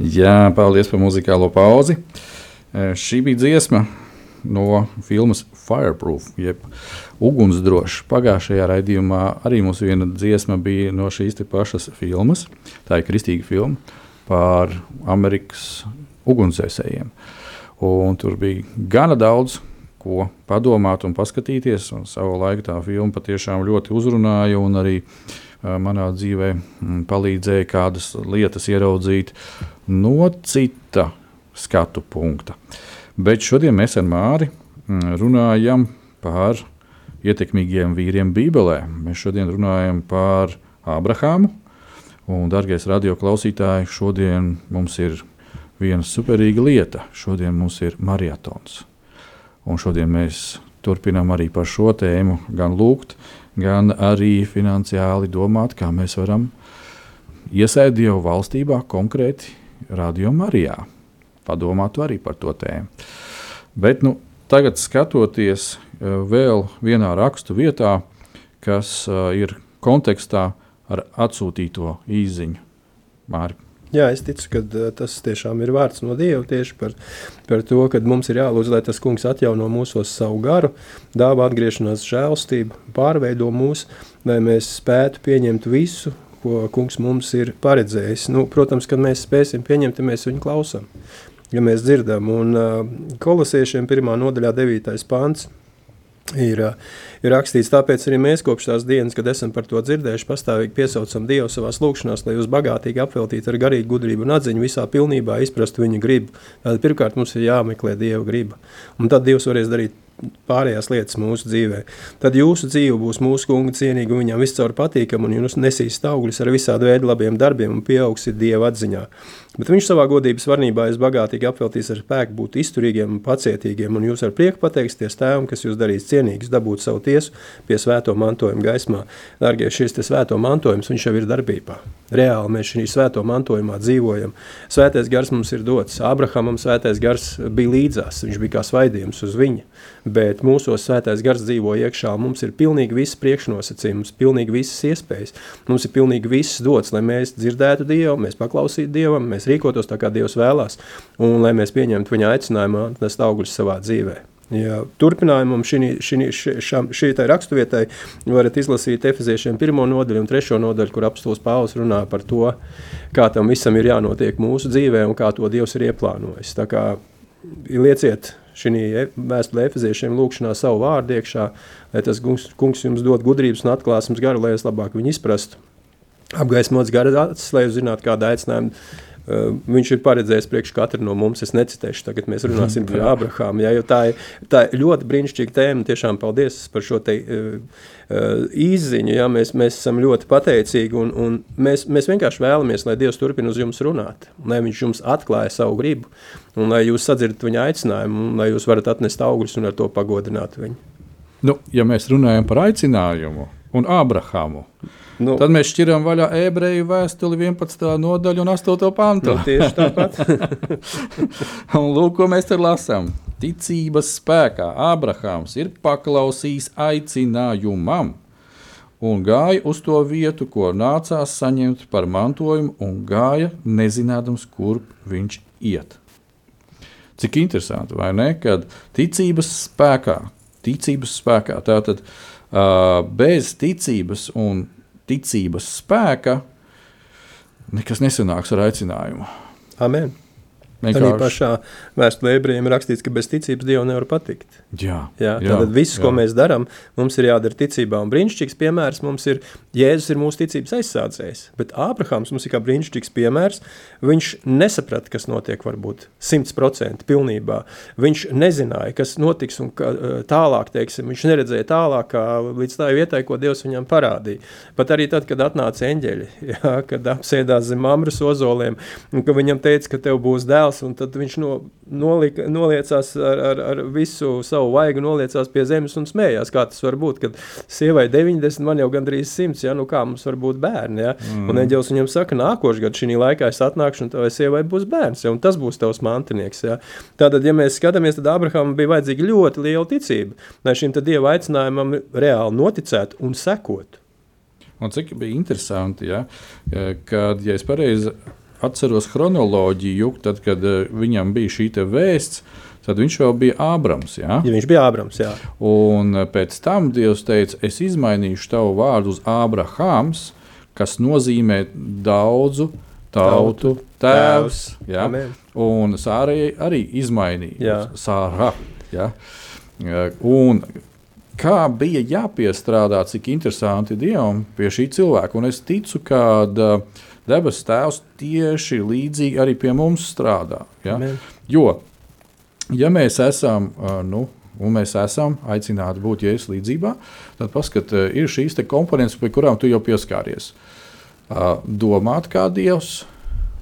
Jā, paldies par muzikālo pauzi. Šī bija dziesma no filmas Fireproof, jeb ugunsdrošs. Pagājušajā raidījumā arī mums viena dziesma bija no šīs te pašas filmas. Tā ir kristīga filma par Amerikas ugunsdzēsējiem. Un tur bija gana daudz, ko padomāt un paskatīties. Un savu laiku tā filma patiešām ļoti uzrunāja un arī manā dzīvē palīdzēja kādas lietas ieraudzīt no cita skatu punkta. Bet šodien mēs ar Māri runājam par ietekmīgiem vīriem Bībelē. Mēs šodien runājam par Ābrahāmu. Un, dargais radio klausītāji, šodien mums ir viena superīga lieta. Šodien mums ir marietons. Un šodien mēs turpinām arī par šo tēmu gan lūgt, gan arī finansiāli domāt, kā mēs varam iesēt Dievu valstībā, konkrēti Radio Marijā. Padomātu arī par to tēmu. Bet tagad skatoties vēl vienā rakstu vietā, kas ir kontekstā ar atsūtīto īziņu. Māri. Jā, es ticu, ka tas tiešām ir vārds no Dieva tieši par to, ka mums ir jālūdz, lai tas kungs atjauno mūsos savu garu, dāvā atgriešanās žēlstību, pārveido mūs, lai mēs spētu pieņemt visu, ko kungs mums ir paredzējis. Protams, kad mēs spēsim pieņemt, ja mēs viņu klausām, ja mēs dzirdam. Un Kolosiešiem 1. nodaļā 9. pants ir rakstīts, tāpēc arī mēs kopš tās dienas, kad esam par to dzirdējuši, pastāvīgi piesaucam Dievu savās lūkšanās, lai jūs bagātīgi apveltītu ar garīgu gudrību un atziņu visā pilnībā izprastu viņa gribu. Tātad pirmkārt mums ir jāmeklē Dieva griba, un tad Dievs varēs darīt pārējās lietas mūsu dzīvē. Tad jūsu dzīve būs mūsu kunga cienīga un viņam viscaur patīkama, un jūs nesīs augļus ar visādu veidu labiem darbiem un pieaugsiet Dieva atziņā. Bet viņš savā godības varnībā jūs bagātīgi apveltīs ar spēku būt izturīgiem un pacietīgiem, un jūs ar prieku pateiksties tēvam, kas jūs darīs cienīgus, dabūt savu tiesu pie svēto mantojuma gaismā. Dārgie, šis te svēto mantojums, viņš jau ir darbībā. Reāli mēs šī svēto mantojumā dzīvojam. Svētais gars mums ir dots. Ābrahamam svētais gars bija līdzās, viņš bija kā svaidījums uz viņa. Bet mūsos svētais gars dzīvo iekšā, mums ir pilnīgi visas priekšnosacījums, pilnīgi visas iespējas. Mums ir pilnīgi viss dots, lai mēs dzirdētu Dievu, mēs paklausītu Dievam, mēs rīkotos tā, kā Dievs vēlās, un lai mēs pieņemtu viņa aicinājumu nest augļus savā dzīvē. Ja, turpinājumam šī raksturvietai varat izlasīt Efeziešiem 1. nodaļu un 3. nodaļu, kur apostols Pāvils runā par to, kā tam visam ir jānotiek mūsu dzīvē un kā to Dievs ir ieplānojis. Tā kā lieciet šī vēstulē Efeziešiem lūkšanā savu vārdu iekšā, lai tas kungs jums dod gudrības un atklāsmes garu, lai es labāk viņu izprastu. Apgaismots gara acis, lai jūs zinātu, kāda aicinājuma viņš ir paredzējis priekš katru no mums. Es necitēšu, tagad mēs runāsim par Ābrahāmu, jo tā ir ļoti brīnišķīga tēma. Tiešām paldies par šo te izziņu, mēs esam ļoti pateicīgi un mēs vienkārši vēlamies, lai Dievs turpina uz jums runāt, lai viņš jums atklāja savu gribu un lai jūs sadzirdat viņa aicinājumu un lai jūs varat atnest augļus un ar to pagodināt viņu. Ja mēs runājam par aicinājumu un Ābrahāmu, tad mēs šķiram vaļā Ebreju vēstuli 11. nodaļu un 8. pantu. Tieši tāpat. Un lūk, ko mēs tur lasām. Ticības spēkā Ābrahāms ir paklausījis aicinājumam un gāja uz to vietu, ko nācās saņemt par mantojumu, un gāja nezinādams, kurp viņš iet. Cik interesanti, vai ne? Kad ticības spēkā, tātad bez ticības un ticības spēka nekas nesanāks ar aicinājumu. Amen. Arī pašā vēstulē Ebrejiem rakstīts, ka bez ticības Dievu nevar patikt. Tātad viss, ko mēs darām, mums ir jādara ticībā. Un brīnišķīgs piemērs mums ir, Jēzus ir mūsu ticības aizsādzējs, bet Ābrahāms mums ir kā brīnišķīgs piemērs. Viņš nesaprata, kas notiek varbūt 100% pilnībā. Viņš nezināja, kas notiks un tālāk, teiksim, viņš neredzēja tālāk līdz tā vietai, ko Dievs viņam parādīja. Pat arī tad, kad atnāca eņģeļi, kad apsēdās zem Mamres ozoliem, un ka viņam teica, ka tev būs dēls, un tad viņš noliecās ar visu savu vaigu, noliecās pie zemes un smējās. Kā tas var būt, kad sievai 90, man jau gandrīz 100, kā mums var būt bērni, Un eņģelis viņam saka, nākošu gadu šī laikā es atnākšu, un tavai sievai būs bērns, un tas būs tavs mantinieks, Tātad, ja mēs skatāmies, tad Ābrahamam bija vajadzīga ļoti liela ticība, lai šim tad Dieva aicinājumam reāli noticētu un sekot. Un cik bija interesanti, kad, ja es pareizi atceros chronoloģiju, tad, kad viņam bija šī te vēsts, tad viņš jau bija Ābrams. Ja? Ja viņš bija Ābrams, jā. Un pēc tam Dievs teica, es izmainīšu tavu vārdu uz Ābrahams, kas nozīmē daudzu tautu tēvs. Ja? Un Sārai arī izmainīja uz Sāra. Ja? Un kā bija jāpiestrādā, cik interesanti Dievam pie šī cilvēka. Un es ticu, ka debesu tēvs tieši līdzīgi arī pie mums strādā. Ja? Jo, ja mēs esam, un mēs esam aicināti būt Jēzus līdzībā, tad paskat, ir šīs te komponentes, pie kurām tu jau pieskāries. Domāt kā Dievs,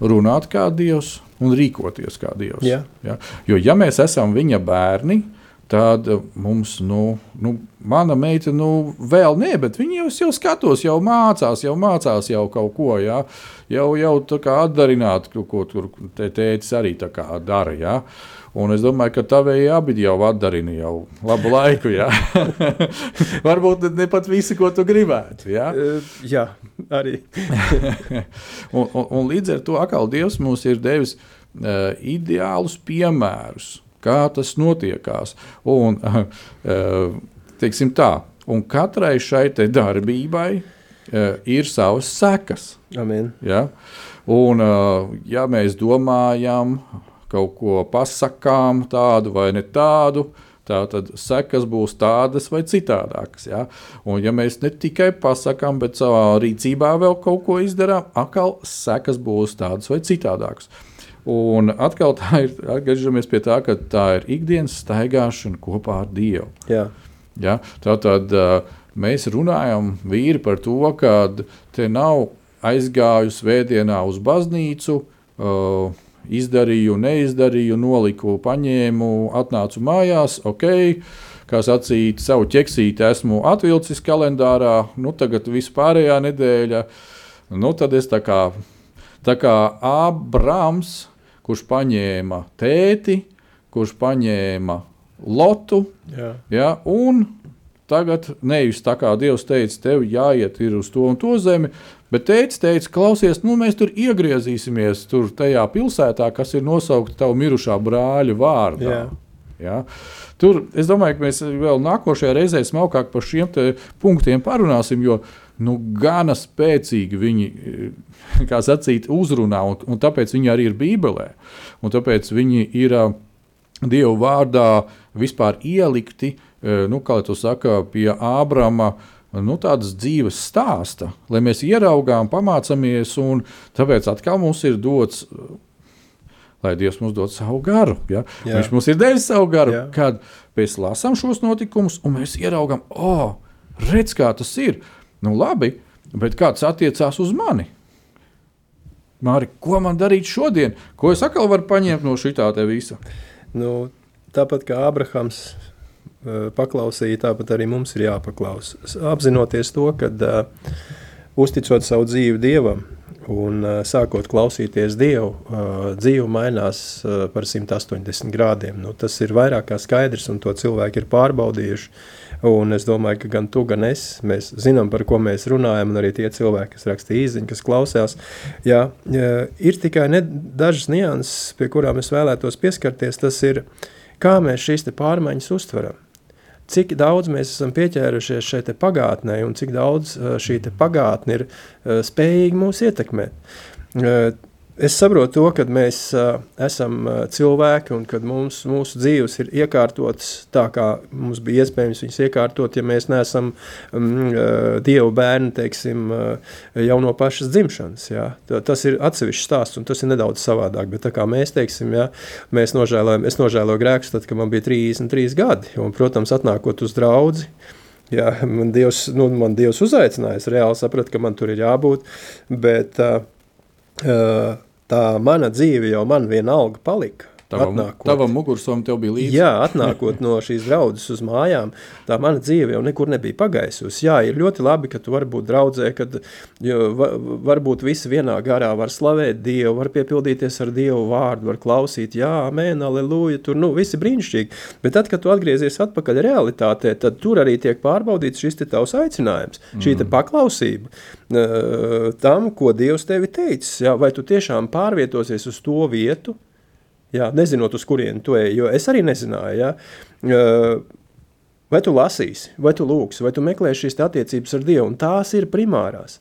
runāt kā Dievs un rīkoties kā Dievs. Jā. Ja? Jo, ja mēs esam viņa bērni, tad mums, mana meita, vēl ne, bet viņa jau skatos, jau mācās jau kaut ko, ja? jau tā kā atdarināt, ko tur tētis arī tā kā dara, ja? Un es domāju, ka tavēji abi jau atdarina jau labu laiku, ja? Varbūt ne pat visi, ko tu gribētu, ja? Jā, arī. un līdz ar to atkal Dievs mums ir devis ideālus piemērus, kā tas notiekās. Un, teiksim tā, un katrai šai te darbībai ir savas sekas. Amen. Ja? Un, ja mēs domājam, kaut ko pasakām tādu vai ne tādu, tad sekas būs tādas vai citādākas. Ja? Un ja mēs ne tikai pasakām, bet savā rīcībā vēl kaut ko izdarām, atkal sekas būs tādas vai citādākas. Un atkal atgriežamies pie tā, ka tā ir ikdienas staigāšana kopā ar Dievu. Jā. Ja? Tātad mēs runājam vīri par to, ka te nav aizgāju svētdienā uz baznīcu, izdarīju, neizdarīju, noliku, paņēmu, atnācu mājās, kā sacīt, savu ķeksīti esmu atvilcis kalendārā, tagad vispārējā nedēļa, tad es tā kā Ābrams, kurš paņēma tēti, kurš paņēma lotu, ja, un tagad nevis tā kā Dievs teica, tev jāiet ir uz to un to zemi, bet teica, klausies, mēs tur iegriezīsimies tur tajā pilsētā, kas ir nosaukta tavu mirušā brāļa vārdā. Ja? Tur, es domāju, ka mēs vēl nākošajā reizē smalkāk par šiem te punktiem parunāsim, jo gana spēcīgi viņi, kā sacīt, uzrunā, un tāpēc viņi arī ir Bībelē. Un tāpēc viņi ir Dievu vārdā vispār ielikti, kā tu saka, pie Ābrama, tādas dzīves stāsta, lai mēs ieraugām, pamācamies, un tāpēc atkal mums ir dots, lai Dievs mums dod savu garu. Ja? Viņš mums ir devis savu garu, kad mēs lasām šos notikumus, un mēs ieraugām, redz, kā tas ir. Labi, bet kāds attiecās uz mani? Māri, ko man darīt šodien? Ko es atkal varu paņemt no šitā te visa? Tāpat kā Ābrahams paklausīja, tāpat arī mums ir jāpaklaus. Apzinoties to, kad uzticot savu dzīvi Dievam un sākot klausīties Dievu, dzīve mainās par 180 grādiem. Tas ir vairāk kā skaidrs, un to cilvēki ir pārbaudījuši. Un es domāju, ka gan tu, gan es, mēs zinām, par ko mēs runājam, un arī tie cilvēki, kas raksta īziņu, kas klausās. Ir tikai dažas nianses, pie kurām es vēlētos pieskarties, tas ir, kā mēs šīs te pārmaiņas uztveram. Cik daudz mēs esam pieķērušies šai te pagātnē un cik daudz šī te pagātne ir spējīgi mūs ietekmēt. Es saprotu to, kad mēs esam cilvēki un kad mūsu dzīves ir iekārtotas tā, kā mums bija iespējams viņas iekārtot, ja mēs neesam Dievu bērni, teiksim, jau no pašas dzimšanas. Ja. Tas ir atsevišķs stāsts un tas ir nedaudz savādāk, bet tā kā mēs, teiksim, ja, es nožēloju grēkus tad, kad man bija 33 gadi un, protams, atnākot uz draudzi, ja, man Dievs uzaicināja, es reāli sapratu, ka man tur ir jābūt, bet tā mana dzīve jau man vienalga palika. Tavam mugursovam tev bija līdzi? Jā, atnākot no šīs draudzes uz mājām, tā mana dzīve jau nekur nebija pagaisusi. Jā, ir ļoti labi, ka tu vari būt draudzē, kad varbūt visi vienā garā var slavēt Dievu, var piepildīties ar Dievu vārdu, var klausīt, jā, amen, aleluja, tur, visi brīnišķīgi. Bet tad, kad tu atgriezies atpakaļ realitātē, tad tur arī tiek pārbaudīts šis te tavs aicinājums, šī te paklausība tam, ko Dievs tevi teicis. Jā, vai tu tiešām pārvietosies uz to vietu, jā, nezinot, uz kurieni tu ej, jo es arī nezināju, jā. Vai tu lasīsi, vai tu lūksi, vai tu meklēsi šīs attiecības ar Dievu, un tās ir primārās.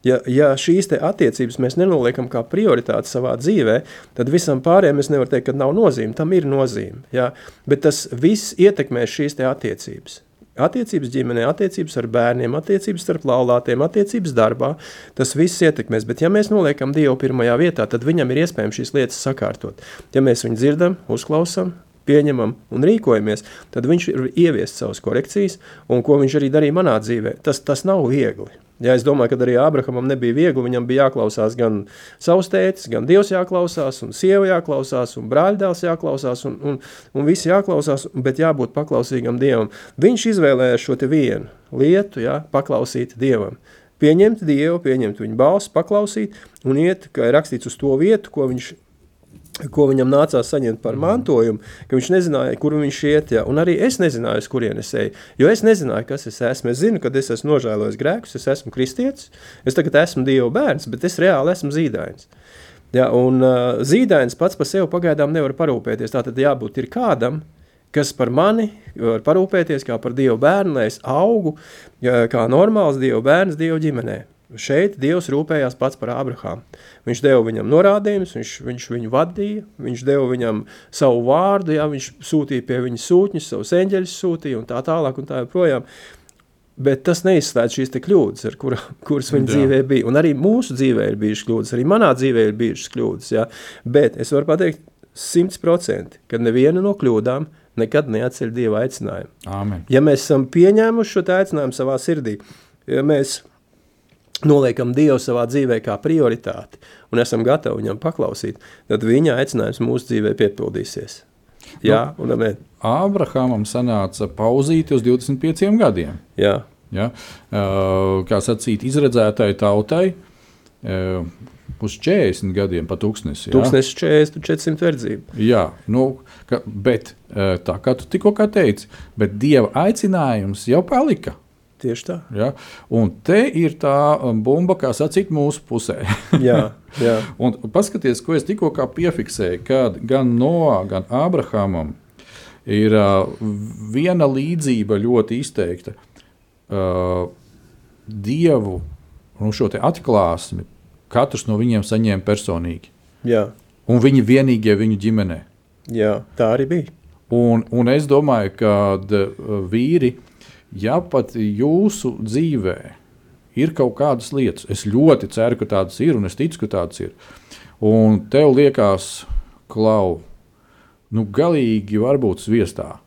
Ja šīs attiecības mēs nenoliekam kā prioritāti savā dzīvē, tad visam pārējiem es nevaru teikt, ka nav nozīme, tam ir nozīme, jā, bet tas viss ietekmē šīs attiecības. Attiecības ģimenē, attiecības ar bērniem, attiecības starp laulātiem, attiecības darbā, tas viss ietekmēs, bet ja mēs noliekam Dievu pirmajā vietā, tad viņam ir iespējams šīs lietas sakārtot. Ja mēs viņu dzirdam, uzklausam, pieņemam un rīkojamies, tad viņš ir ieviest savas korekcijas, un ko viņš arī darīja manā dzīvē. Tas nav viegli. Ja es domāju, ka arī Ābrahamam nebija viegli, viņam bija jāklausās gan savs tētis, gan Dievs jāklausās, un sieva jāklausās, un brāļdēls jāklausās, un visi jāklausās, bet jābūt paklausīgam Dievam. Viņš izvēlējās šo te vienu lietu, ja, paklausīt Dievam. Pieņemt Dievu, pieņemt viņu balsi, paklausīt, un iet, kā ir rakstīts, uz to vietu, ko viņam nācās saņemt par mantojumu, ka viņš nezināja, kur viņš iet, ja, un arī es nezināju, uz kurien es eju, jo es nezināju, kas es esmu. Es zinu, kad es esmu nožēlojis grēkus, es esmu kristietis, es tagad esmu Dieva bērns, bet es reāli esmu zīdains. Ja, un zīdains pats par sevi pagaidām nevar parūpēties, tātad jābūt ir kādam, kas par mani var parūpēties kā par Dieva bērnu, lai es augu kā normāls Dieva bērns Dieva ģimenē. Šeit Dievs rūpējās pats par Ābrahāmu. Viņš deva viņam norādījumus, viņš viņu vadīja, viņš deva viņam savu vārdu, jā, viņš sūtīja pie viņa sūtņus, savus eņģeļus sūtīja un tā tālāk un tā joprojām. Bet tas neizslēdz šīs te kļūdas, kuras viņa dzīvē bija. Un arī mūsu dzīvē ir bijušas kļūdas, arī manā dzīvē ir bijušas kļūdas. Jā. Bet es varu pateikt 100%, ka neviena no kļūdām nekad neatceļ Dieva aicinājumu. Amen. Ja mēs esam pieņēmuši šo aicinājumu savā sirdī, ja mēs noliekam Dievu savā dzīvē kā prioritāti un esam gatavi viņam paklausīt, tad viņa aicinājums mūsu dzīvē piepildīsies. Jā, un amen. Ābrahamam sanāca pauzīti uz 25 gadiem. Jā. Ja? Kā sacīt, izredzētai tautai uz 40 gadiem pa tūkstnesi. 1040, 400 verdzību. Jā, bet tā kā tu tikko kā teici, bet Dieva aicinājums jau palika. Tieši tā. Ja? Un te ir tā bumba, kā sacīt, mūsu pusē. Jā. Un paskaties, ko es tikko kā piefiksēju, kad gan Noā, gan Ābrahamam ir viena līdzība ļoti izteikta. Dievu šo te atklāsmi katrs no viņiem saņēma personīgi. Jā. Un viņi vienīgie viņu ģimenē. Jā, tā arī bija. Un es domāju, ka vīri, ja pat jūsu dzīvē ir kaut kādas lietas, es ļoti ceru, ka tādas ir, un es ticu, ka tādas ir, un tev liekas, Klau, galīgi varbūt sviestā.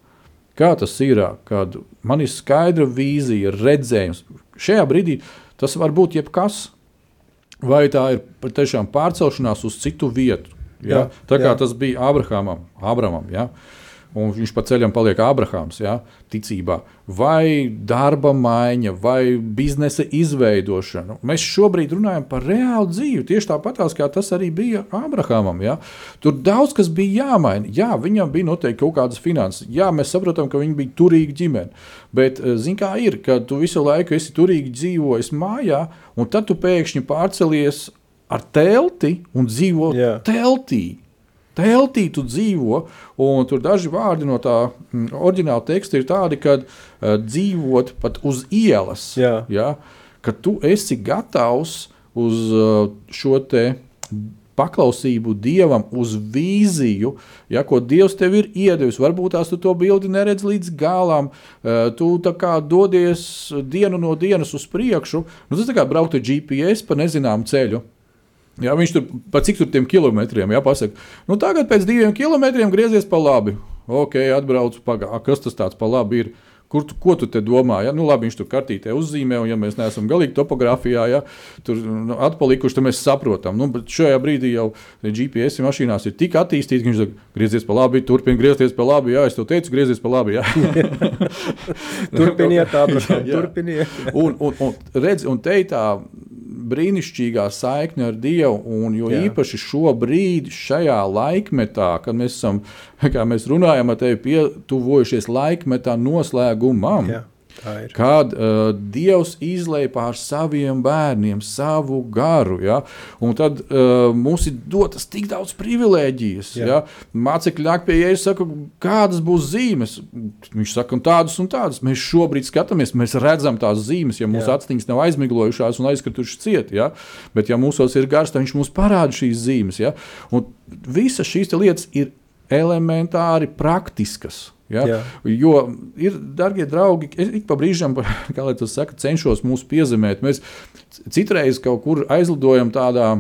Kā tas ir, kad man ir skaidra vīzija, redzējums. Šajā brīdī tas var būt jebkas, vai tā ir patiešām pārcelšanās uz citu vietu. Ja? Tā kā tas bija Ābrahamam, ja? Un viņš pa ceļam paliek Ābrahāms, ja, ticībā, vai darba maiņa, vai biznesa izveidošana. Mēs šobrīd runājam par reālu dzīvi, tieši tāpatās, kā tas arī bija Ābrahāmam. Ja. Tur daudz kas bija jāmaina. Jā, viņam bija noteikti kaut kādas finanses. Jā, mēs saprotam, ka viņi bija turīgi ģimeni. Bet, zin kā ir, kad tu visu laiku esi turīgi dzīvojis mājā, un tad tu pēkšņi pārcelies ar telti un dzīvo teltī. Teltī tu dzīvo, un tur daži vārdi no tā oriģināla teksta ir tādi, kad dzīvot pat uz ielas, ja, ka tu esi gatavs uz šo te paklausību Dievam, uz vīziju, ja, ko Dievs tev ir iedevis. Varbūt tās tu to bildi neredz līdz galam, tu tā kā dodies dienu no dienas uz priekšu, tas tā kā braukt ar GPS pa nezināmu ceļu. Jā, viņš tur pa cik tur tiem kilometriem, pasaka, tagad pēc 2 kilometriem griezies pa labi. Ok, atbraucu, kas tas tāds pa labi ir? Ko tu te domā? Ja? Labi, viņš tur kartītē uzzīmē, un ja mēs neesam galīgi topogrāfijā, tur atpalikuši, tad mēs saprotam. Bet šajā brīdī jau GPS mašīnās ir tik attīstīti, ka viņš saka, griezies pa labi, turpin griezties pa labi, jā, es tev teicu, griezies pa labi, jā. Turpiniet, Ābraham, turpiniet. Un redz, un te tā brīnišķīgā saikne ar Dievu, un jo īpaši šobrīd, šajā laikmetā, kad mēs esam, kā mēs runājam ar tevi, pietuvojušies laikmetā noslēgumam, Kad Dievs izlej pār saviem bērniem savu garu, ja? Un tad mums ir dotas tik daudz privilēģijas. Ja? Mācekļi nāk pie Jēzus, saka, kādas būs zīmes? Viņš saka, un tādas. Mēs šobrīd skatāmies, mēs redzam tās zīmes, ja mūsu actiņas nav aizmiglojušās un aizkritušas ciet. Ja? Bet ja mūsos ir gars, tad viņš mums parāda šīs zīmes. Ja? Un visas šīs lietas ir elementāri praktiskas. Ja? Jo ir, dargie draugi, es ik pa brīžam, kā lai tas saka, cenšos mūs piezemēt. Mēs citreiz kaut kur aizlidojam tādā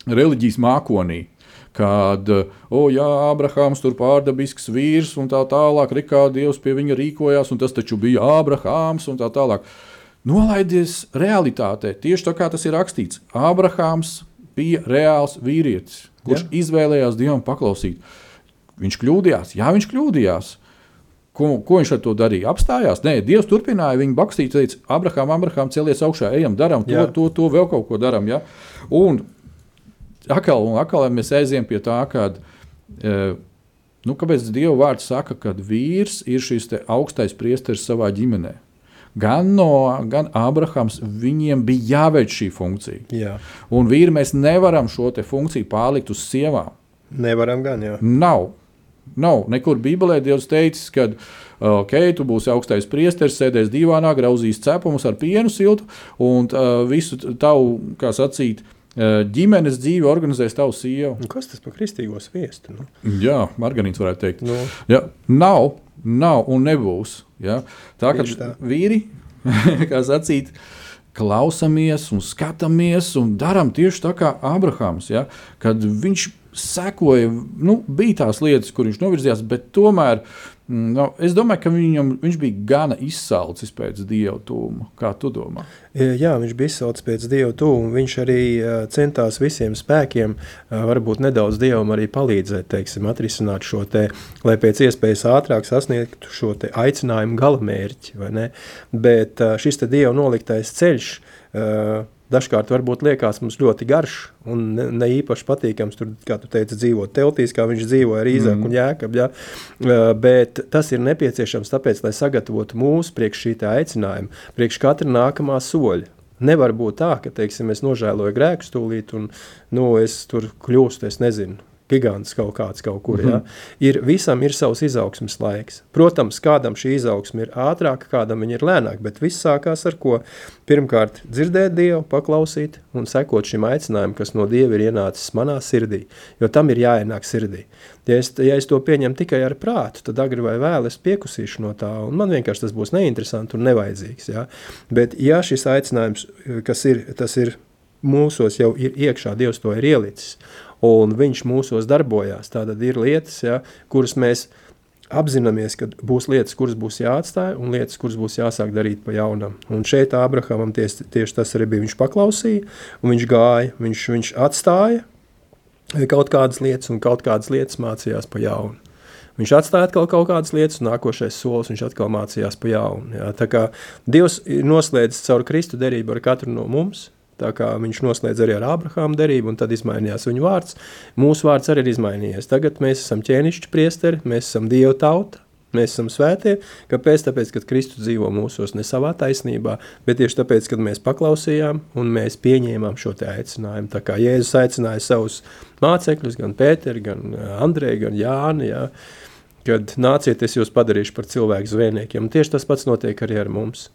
reliģijas mākonī, kad, Ābrahāms tur pārdabisks vīrs un tā tālāk, kā Dievs pie viņa rīkojās, un tas taču bija Ābrahāms un tā tālāk. Nolaidies realitātē, tieši tā kā tas ir rakstīts. Ābrahāms bija reāls vīrietis, kurš izvēlējās Dievam paklausīt. Viņš kļūdījās, viņš kļūdījās. Ko viņš ar to darīja? Apstājās? Nē, Dievs turpināja viņu bakstīt, teica, Abrahām, celies augšā, ejam, daram to vēl kaut ko daram. Ja? Un atkal mēs aiziem pie tā, kad, kāpēc Dieva vārds saka, kad vīrs ir šis te augstais priesteris savā ģimenē. Gan Abrahams, viņiem bija jāveic šī funkcija. Jā. Un vīri, mēs nevaram šo te funkciju pārlikt uz sievām. Nevaram gan, jā. Nav. Nekur Bībelē Dievs teicis, ka tu būsi augstais priesteris, sēdēs divānā, grauzīs cepumus ar pienu siltu un visu tavu, kā sacīt, ģimenes dzīvi organizēs tavu sievu. Kas tas par kristīgo sviestu? Nu? Jā, margarīns varētu teikt. No. Ja, nav un nebūs. Ja? Tā, ka vīri, kā sacīt, klausamies un skatāmies un daram tieši tā kā Abrahams, ja? Kad viņš sekoja, bija tās lietas, kur viņš novirzījās, bet tomēr, es domāju, ka viņš bija gana izsalcis pēc Dieva tūma. Kā tu domā? Jā, viņš bija izsalcis pēc Dieva tūma. Viņš arī centās visiem spēkiem, varbūt nedaudz Dievam arī palīdzēt, atrisināt šo te, lai pēc iespējas ātrāk sasniegtu šo te aicinājumu galamērķi, vai ne? Bet šis te Dieva noliktais ceļš, dažkārt varbūt liekas mums ļoti garš un ne īpaši patīkams, tur, kā tu teici, dzīvot teltīs, kā viņš dzīvoja ar Īzaku un Jēkabu, ja? Bet tas ir nepieciešams tāpēc, lai sagatavotu mūs priekš šī tā aicinājuma, priekš katra nākamā soļa. Nevar būt tā, ka, es nožēloju grēku stūlīt un, es tur kļūstu, es nezinu, gigants kaut kur, ja? Visam ir savs izaugsmes laiks. Protams, kādam šī izaugsme ir ātrāka, kādam viņa ir lēnāka, bet viss sākās ar ko? Pirmkārt, dzirdēt Dievu, paklausīt un sekot šim aicinājumam, kas no Dieva ir ienācis manā sirdī, jo tam ir jāienāk sirdī. Ja es to pieņemu tikai ar prātu, tad agri vai vēl es piekusīšu no tā, un man vienkārši tas būs neinteresanti un nevajadzīgs. Ja? Bet ja šis aicinājums, tas ir mūsos jau ir iekšā, Dievs to ir ielicis, un viņš mūsos darbojās. Tātad ir lietas, kuras mēs apzināmies, ka būs lietas, kuras būs jāatstāj, un lietas, kuras būs jāsāk darīt pa jaunam. Un šeit Abrahamam tieši tas arī bija. Viņš paklausīja, un viņš gāja, viņš atstāja kaut kādas lietas, un kaut kādas lietas mācījās pa jaunu. Viņš atstāja atkal kaut kādas lietas, un nākošais solis viņš atkal mācījās pa jaunu. Jā. Tā kā Dievs noslēdz caur Kristu derību ar katru no mums, tā kā viņš noslēdz arī ar Ābrahāmu derību, un tad izmainījās viņu vārds. Mūsu vārds arī ir izmainījies. Tagad mēs esam ķēnišķi priesteri, mēs esam Dieva tauta, mēs esam svētie. Kāpēc? Tāpēc, kad Kristus dzīvo mūsos ne savā taisnībā, bet tieši tāpēc, kad mēs paklausījām un mēs pieņēmām šo te aicinājumu. Tā kā Jēzus aicināja savus mācekļus, gan Pēteri, gan Andreju, gan Jāni, kad nāciet, es jūs padarīšu par cilvēku zvejniekiem. Un tieši tas pats notiek arī ar mums.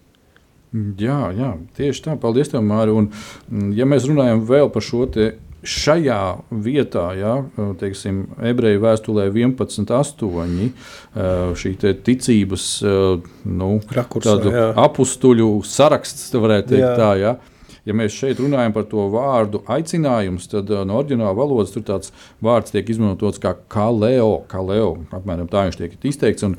Jā, tieši tā. Paldies tev, Māri. Un, ja mēs runājam vēl par šo te šajā vietā, Ebreju vēstulē 11.8, šī te ticības rakursā, apustuļu saraksts, varētu teikt tā, Ja mēs šeit runājam par to vārdu aicinājums, tad no oriģināla valodas tur tāds vārds tiek izmantots kā kaleo, apmēram tā viņš tiek izteikts, un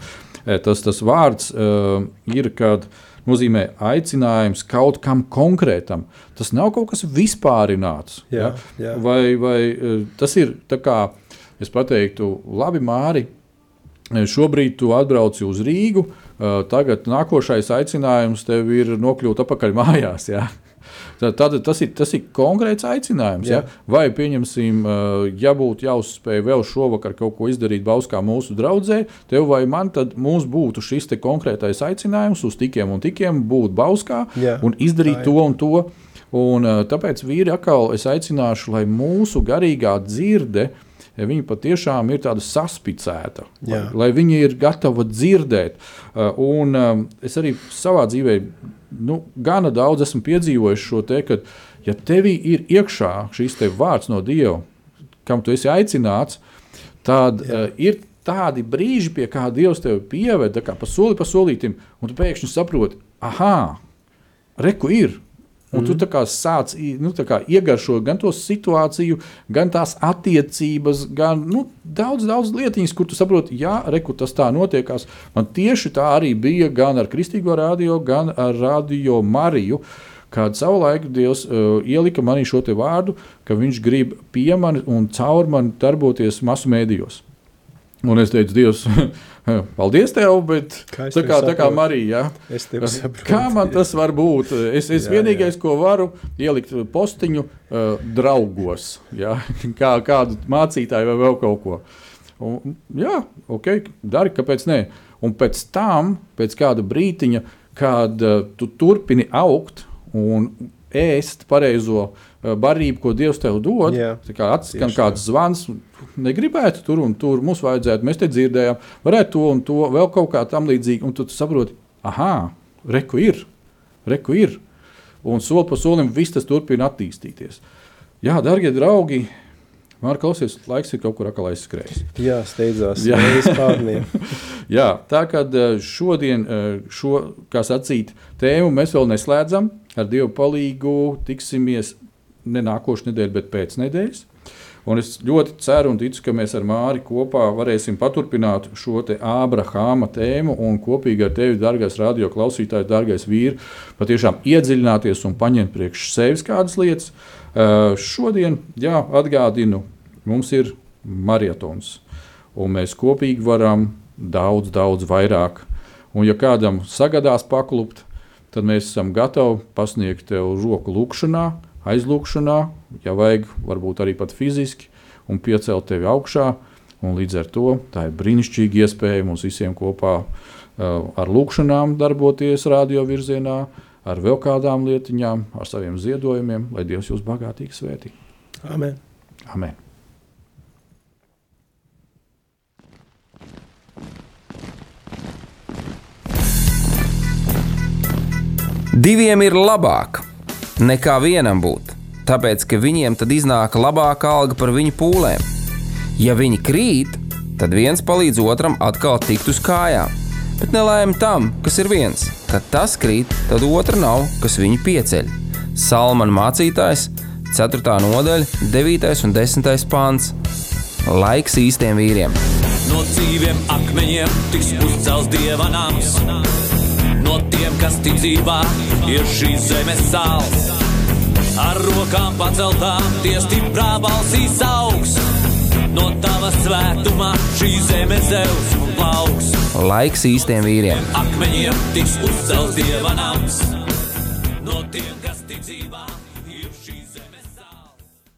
tas vārds ir, kad nozīmē aicinājums kaut kam konkrētam. Tas nav kaut kas vispārināts. Jā. Vai tas ir tā kā, es pateiktu, labi, Māri, šobrīd tu atbrauci uz Rīgu, tagad nākošais aicinājums tev ir nokļūt atpakaļ mājās, jā? Tad tas ir konkrēts aicinājums. Ja? Vai, pieņemsim, ja būtu jāuzspēj vēl šovakar kaut ko izdarīt Bauskā mūsu draudzē, tev vai man, tad mums būtu šis te konkrētais aicinājums uz tikiem un tikiem būt Bauskā un izdarīt to un to. Un tāpēc, vīri, atkal es aicināšu, lai mūsu garīgā dzirde, viņa patiešām ir tāda saspicēta, lai viņi ir gatava dzirdēt. Un es arī savā dzīvē gana daudz esmu piedzīvojis šo te, ka ja tevī ir iekšā šis te vārds no Dieva, kam tu esi aicināts, tad ir tādi brīži, pie kā Dievs tevi pieved, kā pa soli pa solītim, un tu pēkšņi saproti, reku ir. Un tu tā kā sāc iegaršo gan to situāciju, gan tās attiecības, gan daudz lietiņas, kur tu saproti, reku tas tā notiekās. Man tieši tā arī bija gan ar Kristīgo radio, gan ar Radio Mariju, kad savulaik Dievs ielika manī šo te vārdu, ka viņš grib pie mani un caur mani darboties masu mēdījos. Un es teicu, Dievs, paldies tev, bet tā kā Marija, kā man tas var būt? Es vienīgais, ko varu, ielikt postiņu draugos, kādu mācītāju vai vēl kaut ko. Un, dari, kāpēc ne? Un pēc tam, pēc kāda brītiņa, kad tu turpini augt un ēst pareizo barību, ko Dievs tev dod, atskan kāds zvans, negribētu tur un tur, mums vajadzētu, mēs te dzirdējām, varētu to un to, vēl kaut kā tam līdzīgi, un tu saproti, reku ir, un soli pa solim viss tas turpina attīstīties. Jā, dargie draugi, Māri, klausies, laiks ir kaut kur atkal aizskrējis. Jā, steidzās, pārniem. Jā, tā kad šodien kā sacīt, tēmu mēs vēl neslēdzam, ar Dievu palīgu tiksimies ne nākošu nedēļu, bet pēc nedēļas. Un es ļoti ceru un ticu, ka mēs ar Māri kopā varēsim paturpināt šo te Ābrahāma tēmu un kopīgi ar tevi, dargais radio klausītāji, dargais vīri, patiešām iedziļināties un paņemt priekš sevis kādas lietas. Šodien, atgādinu, mums ir marietons, un mēs kopīgi varam daudz vairāk. Un ja kādam sagadās paklupt, tad mēs esam gatavi pasniegt tev roku lūkšanā, aizlūkšanā, ja vajag, varbūt arī pat fiziski, un piecelt tevi augšā, un līdz ar to tā ir brīnišķīga iespēja mums visiem kopā ar lūkšanām darboties radio virzienā, ar vēl kādām lietiņām, ar saviem ziedojumiem, lai Dievs jūs bagātīgi svētī. Amen. Amen. Diviem ir labāk nekā vienam būt, tāpēc, ka viņiem tad iznāk labāka alga par viņu pūlēm. Ja viņi krīt, tad viens palīdz otram atkal tikt uz kājām, bet nelaime tam, kas ir viens. Kad tas krīt, tad otra nav, kas viņu pieceļ. Salmana mācītājs, 4. nodaļa, 9. un 10. pāns. Laiks īstiem vīriem. No dzīviem akmeņiem tiks uzcelts Dieva nams. No tiem, kas ticībā ir šīs zemes sāls. Ar rokām paceltām tie stiprā balsīs augs. No tava svētumā šī zeme zeus un plauks. Laiks īstiem vīriem. Akmeņiem tiks uzcelts Dieva nams. No tiem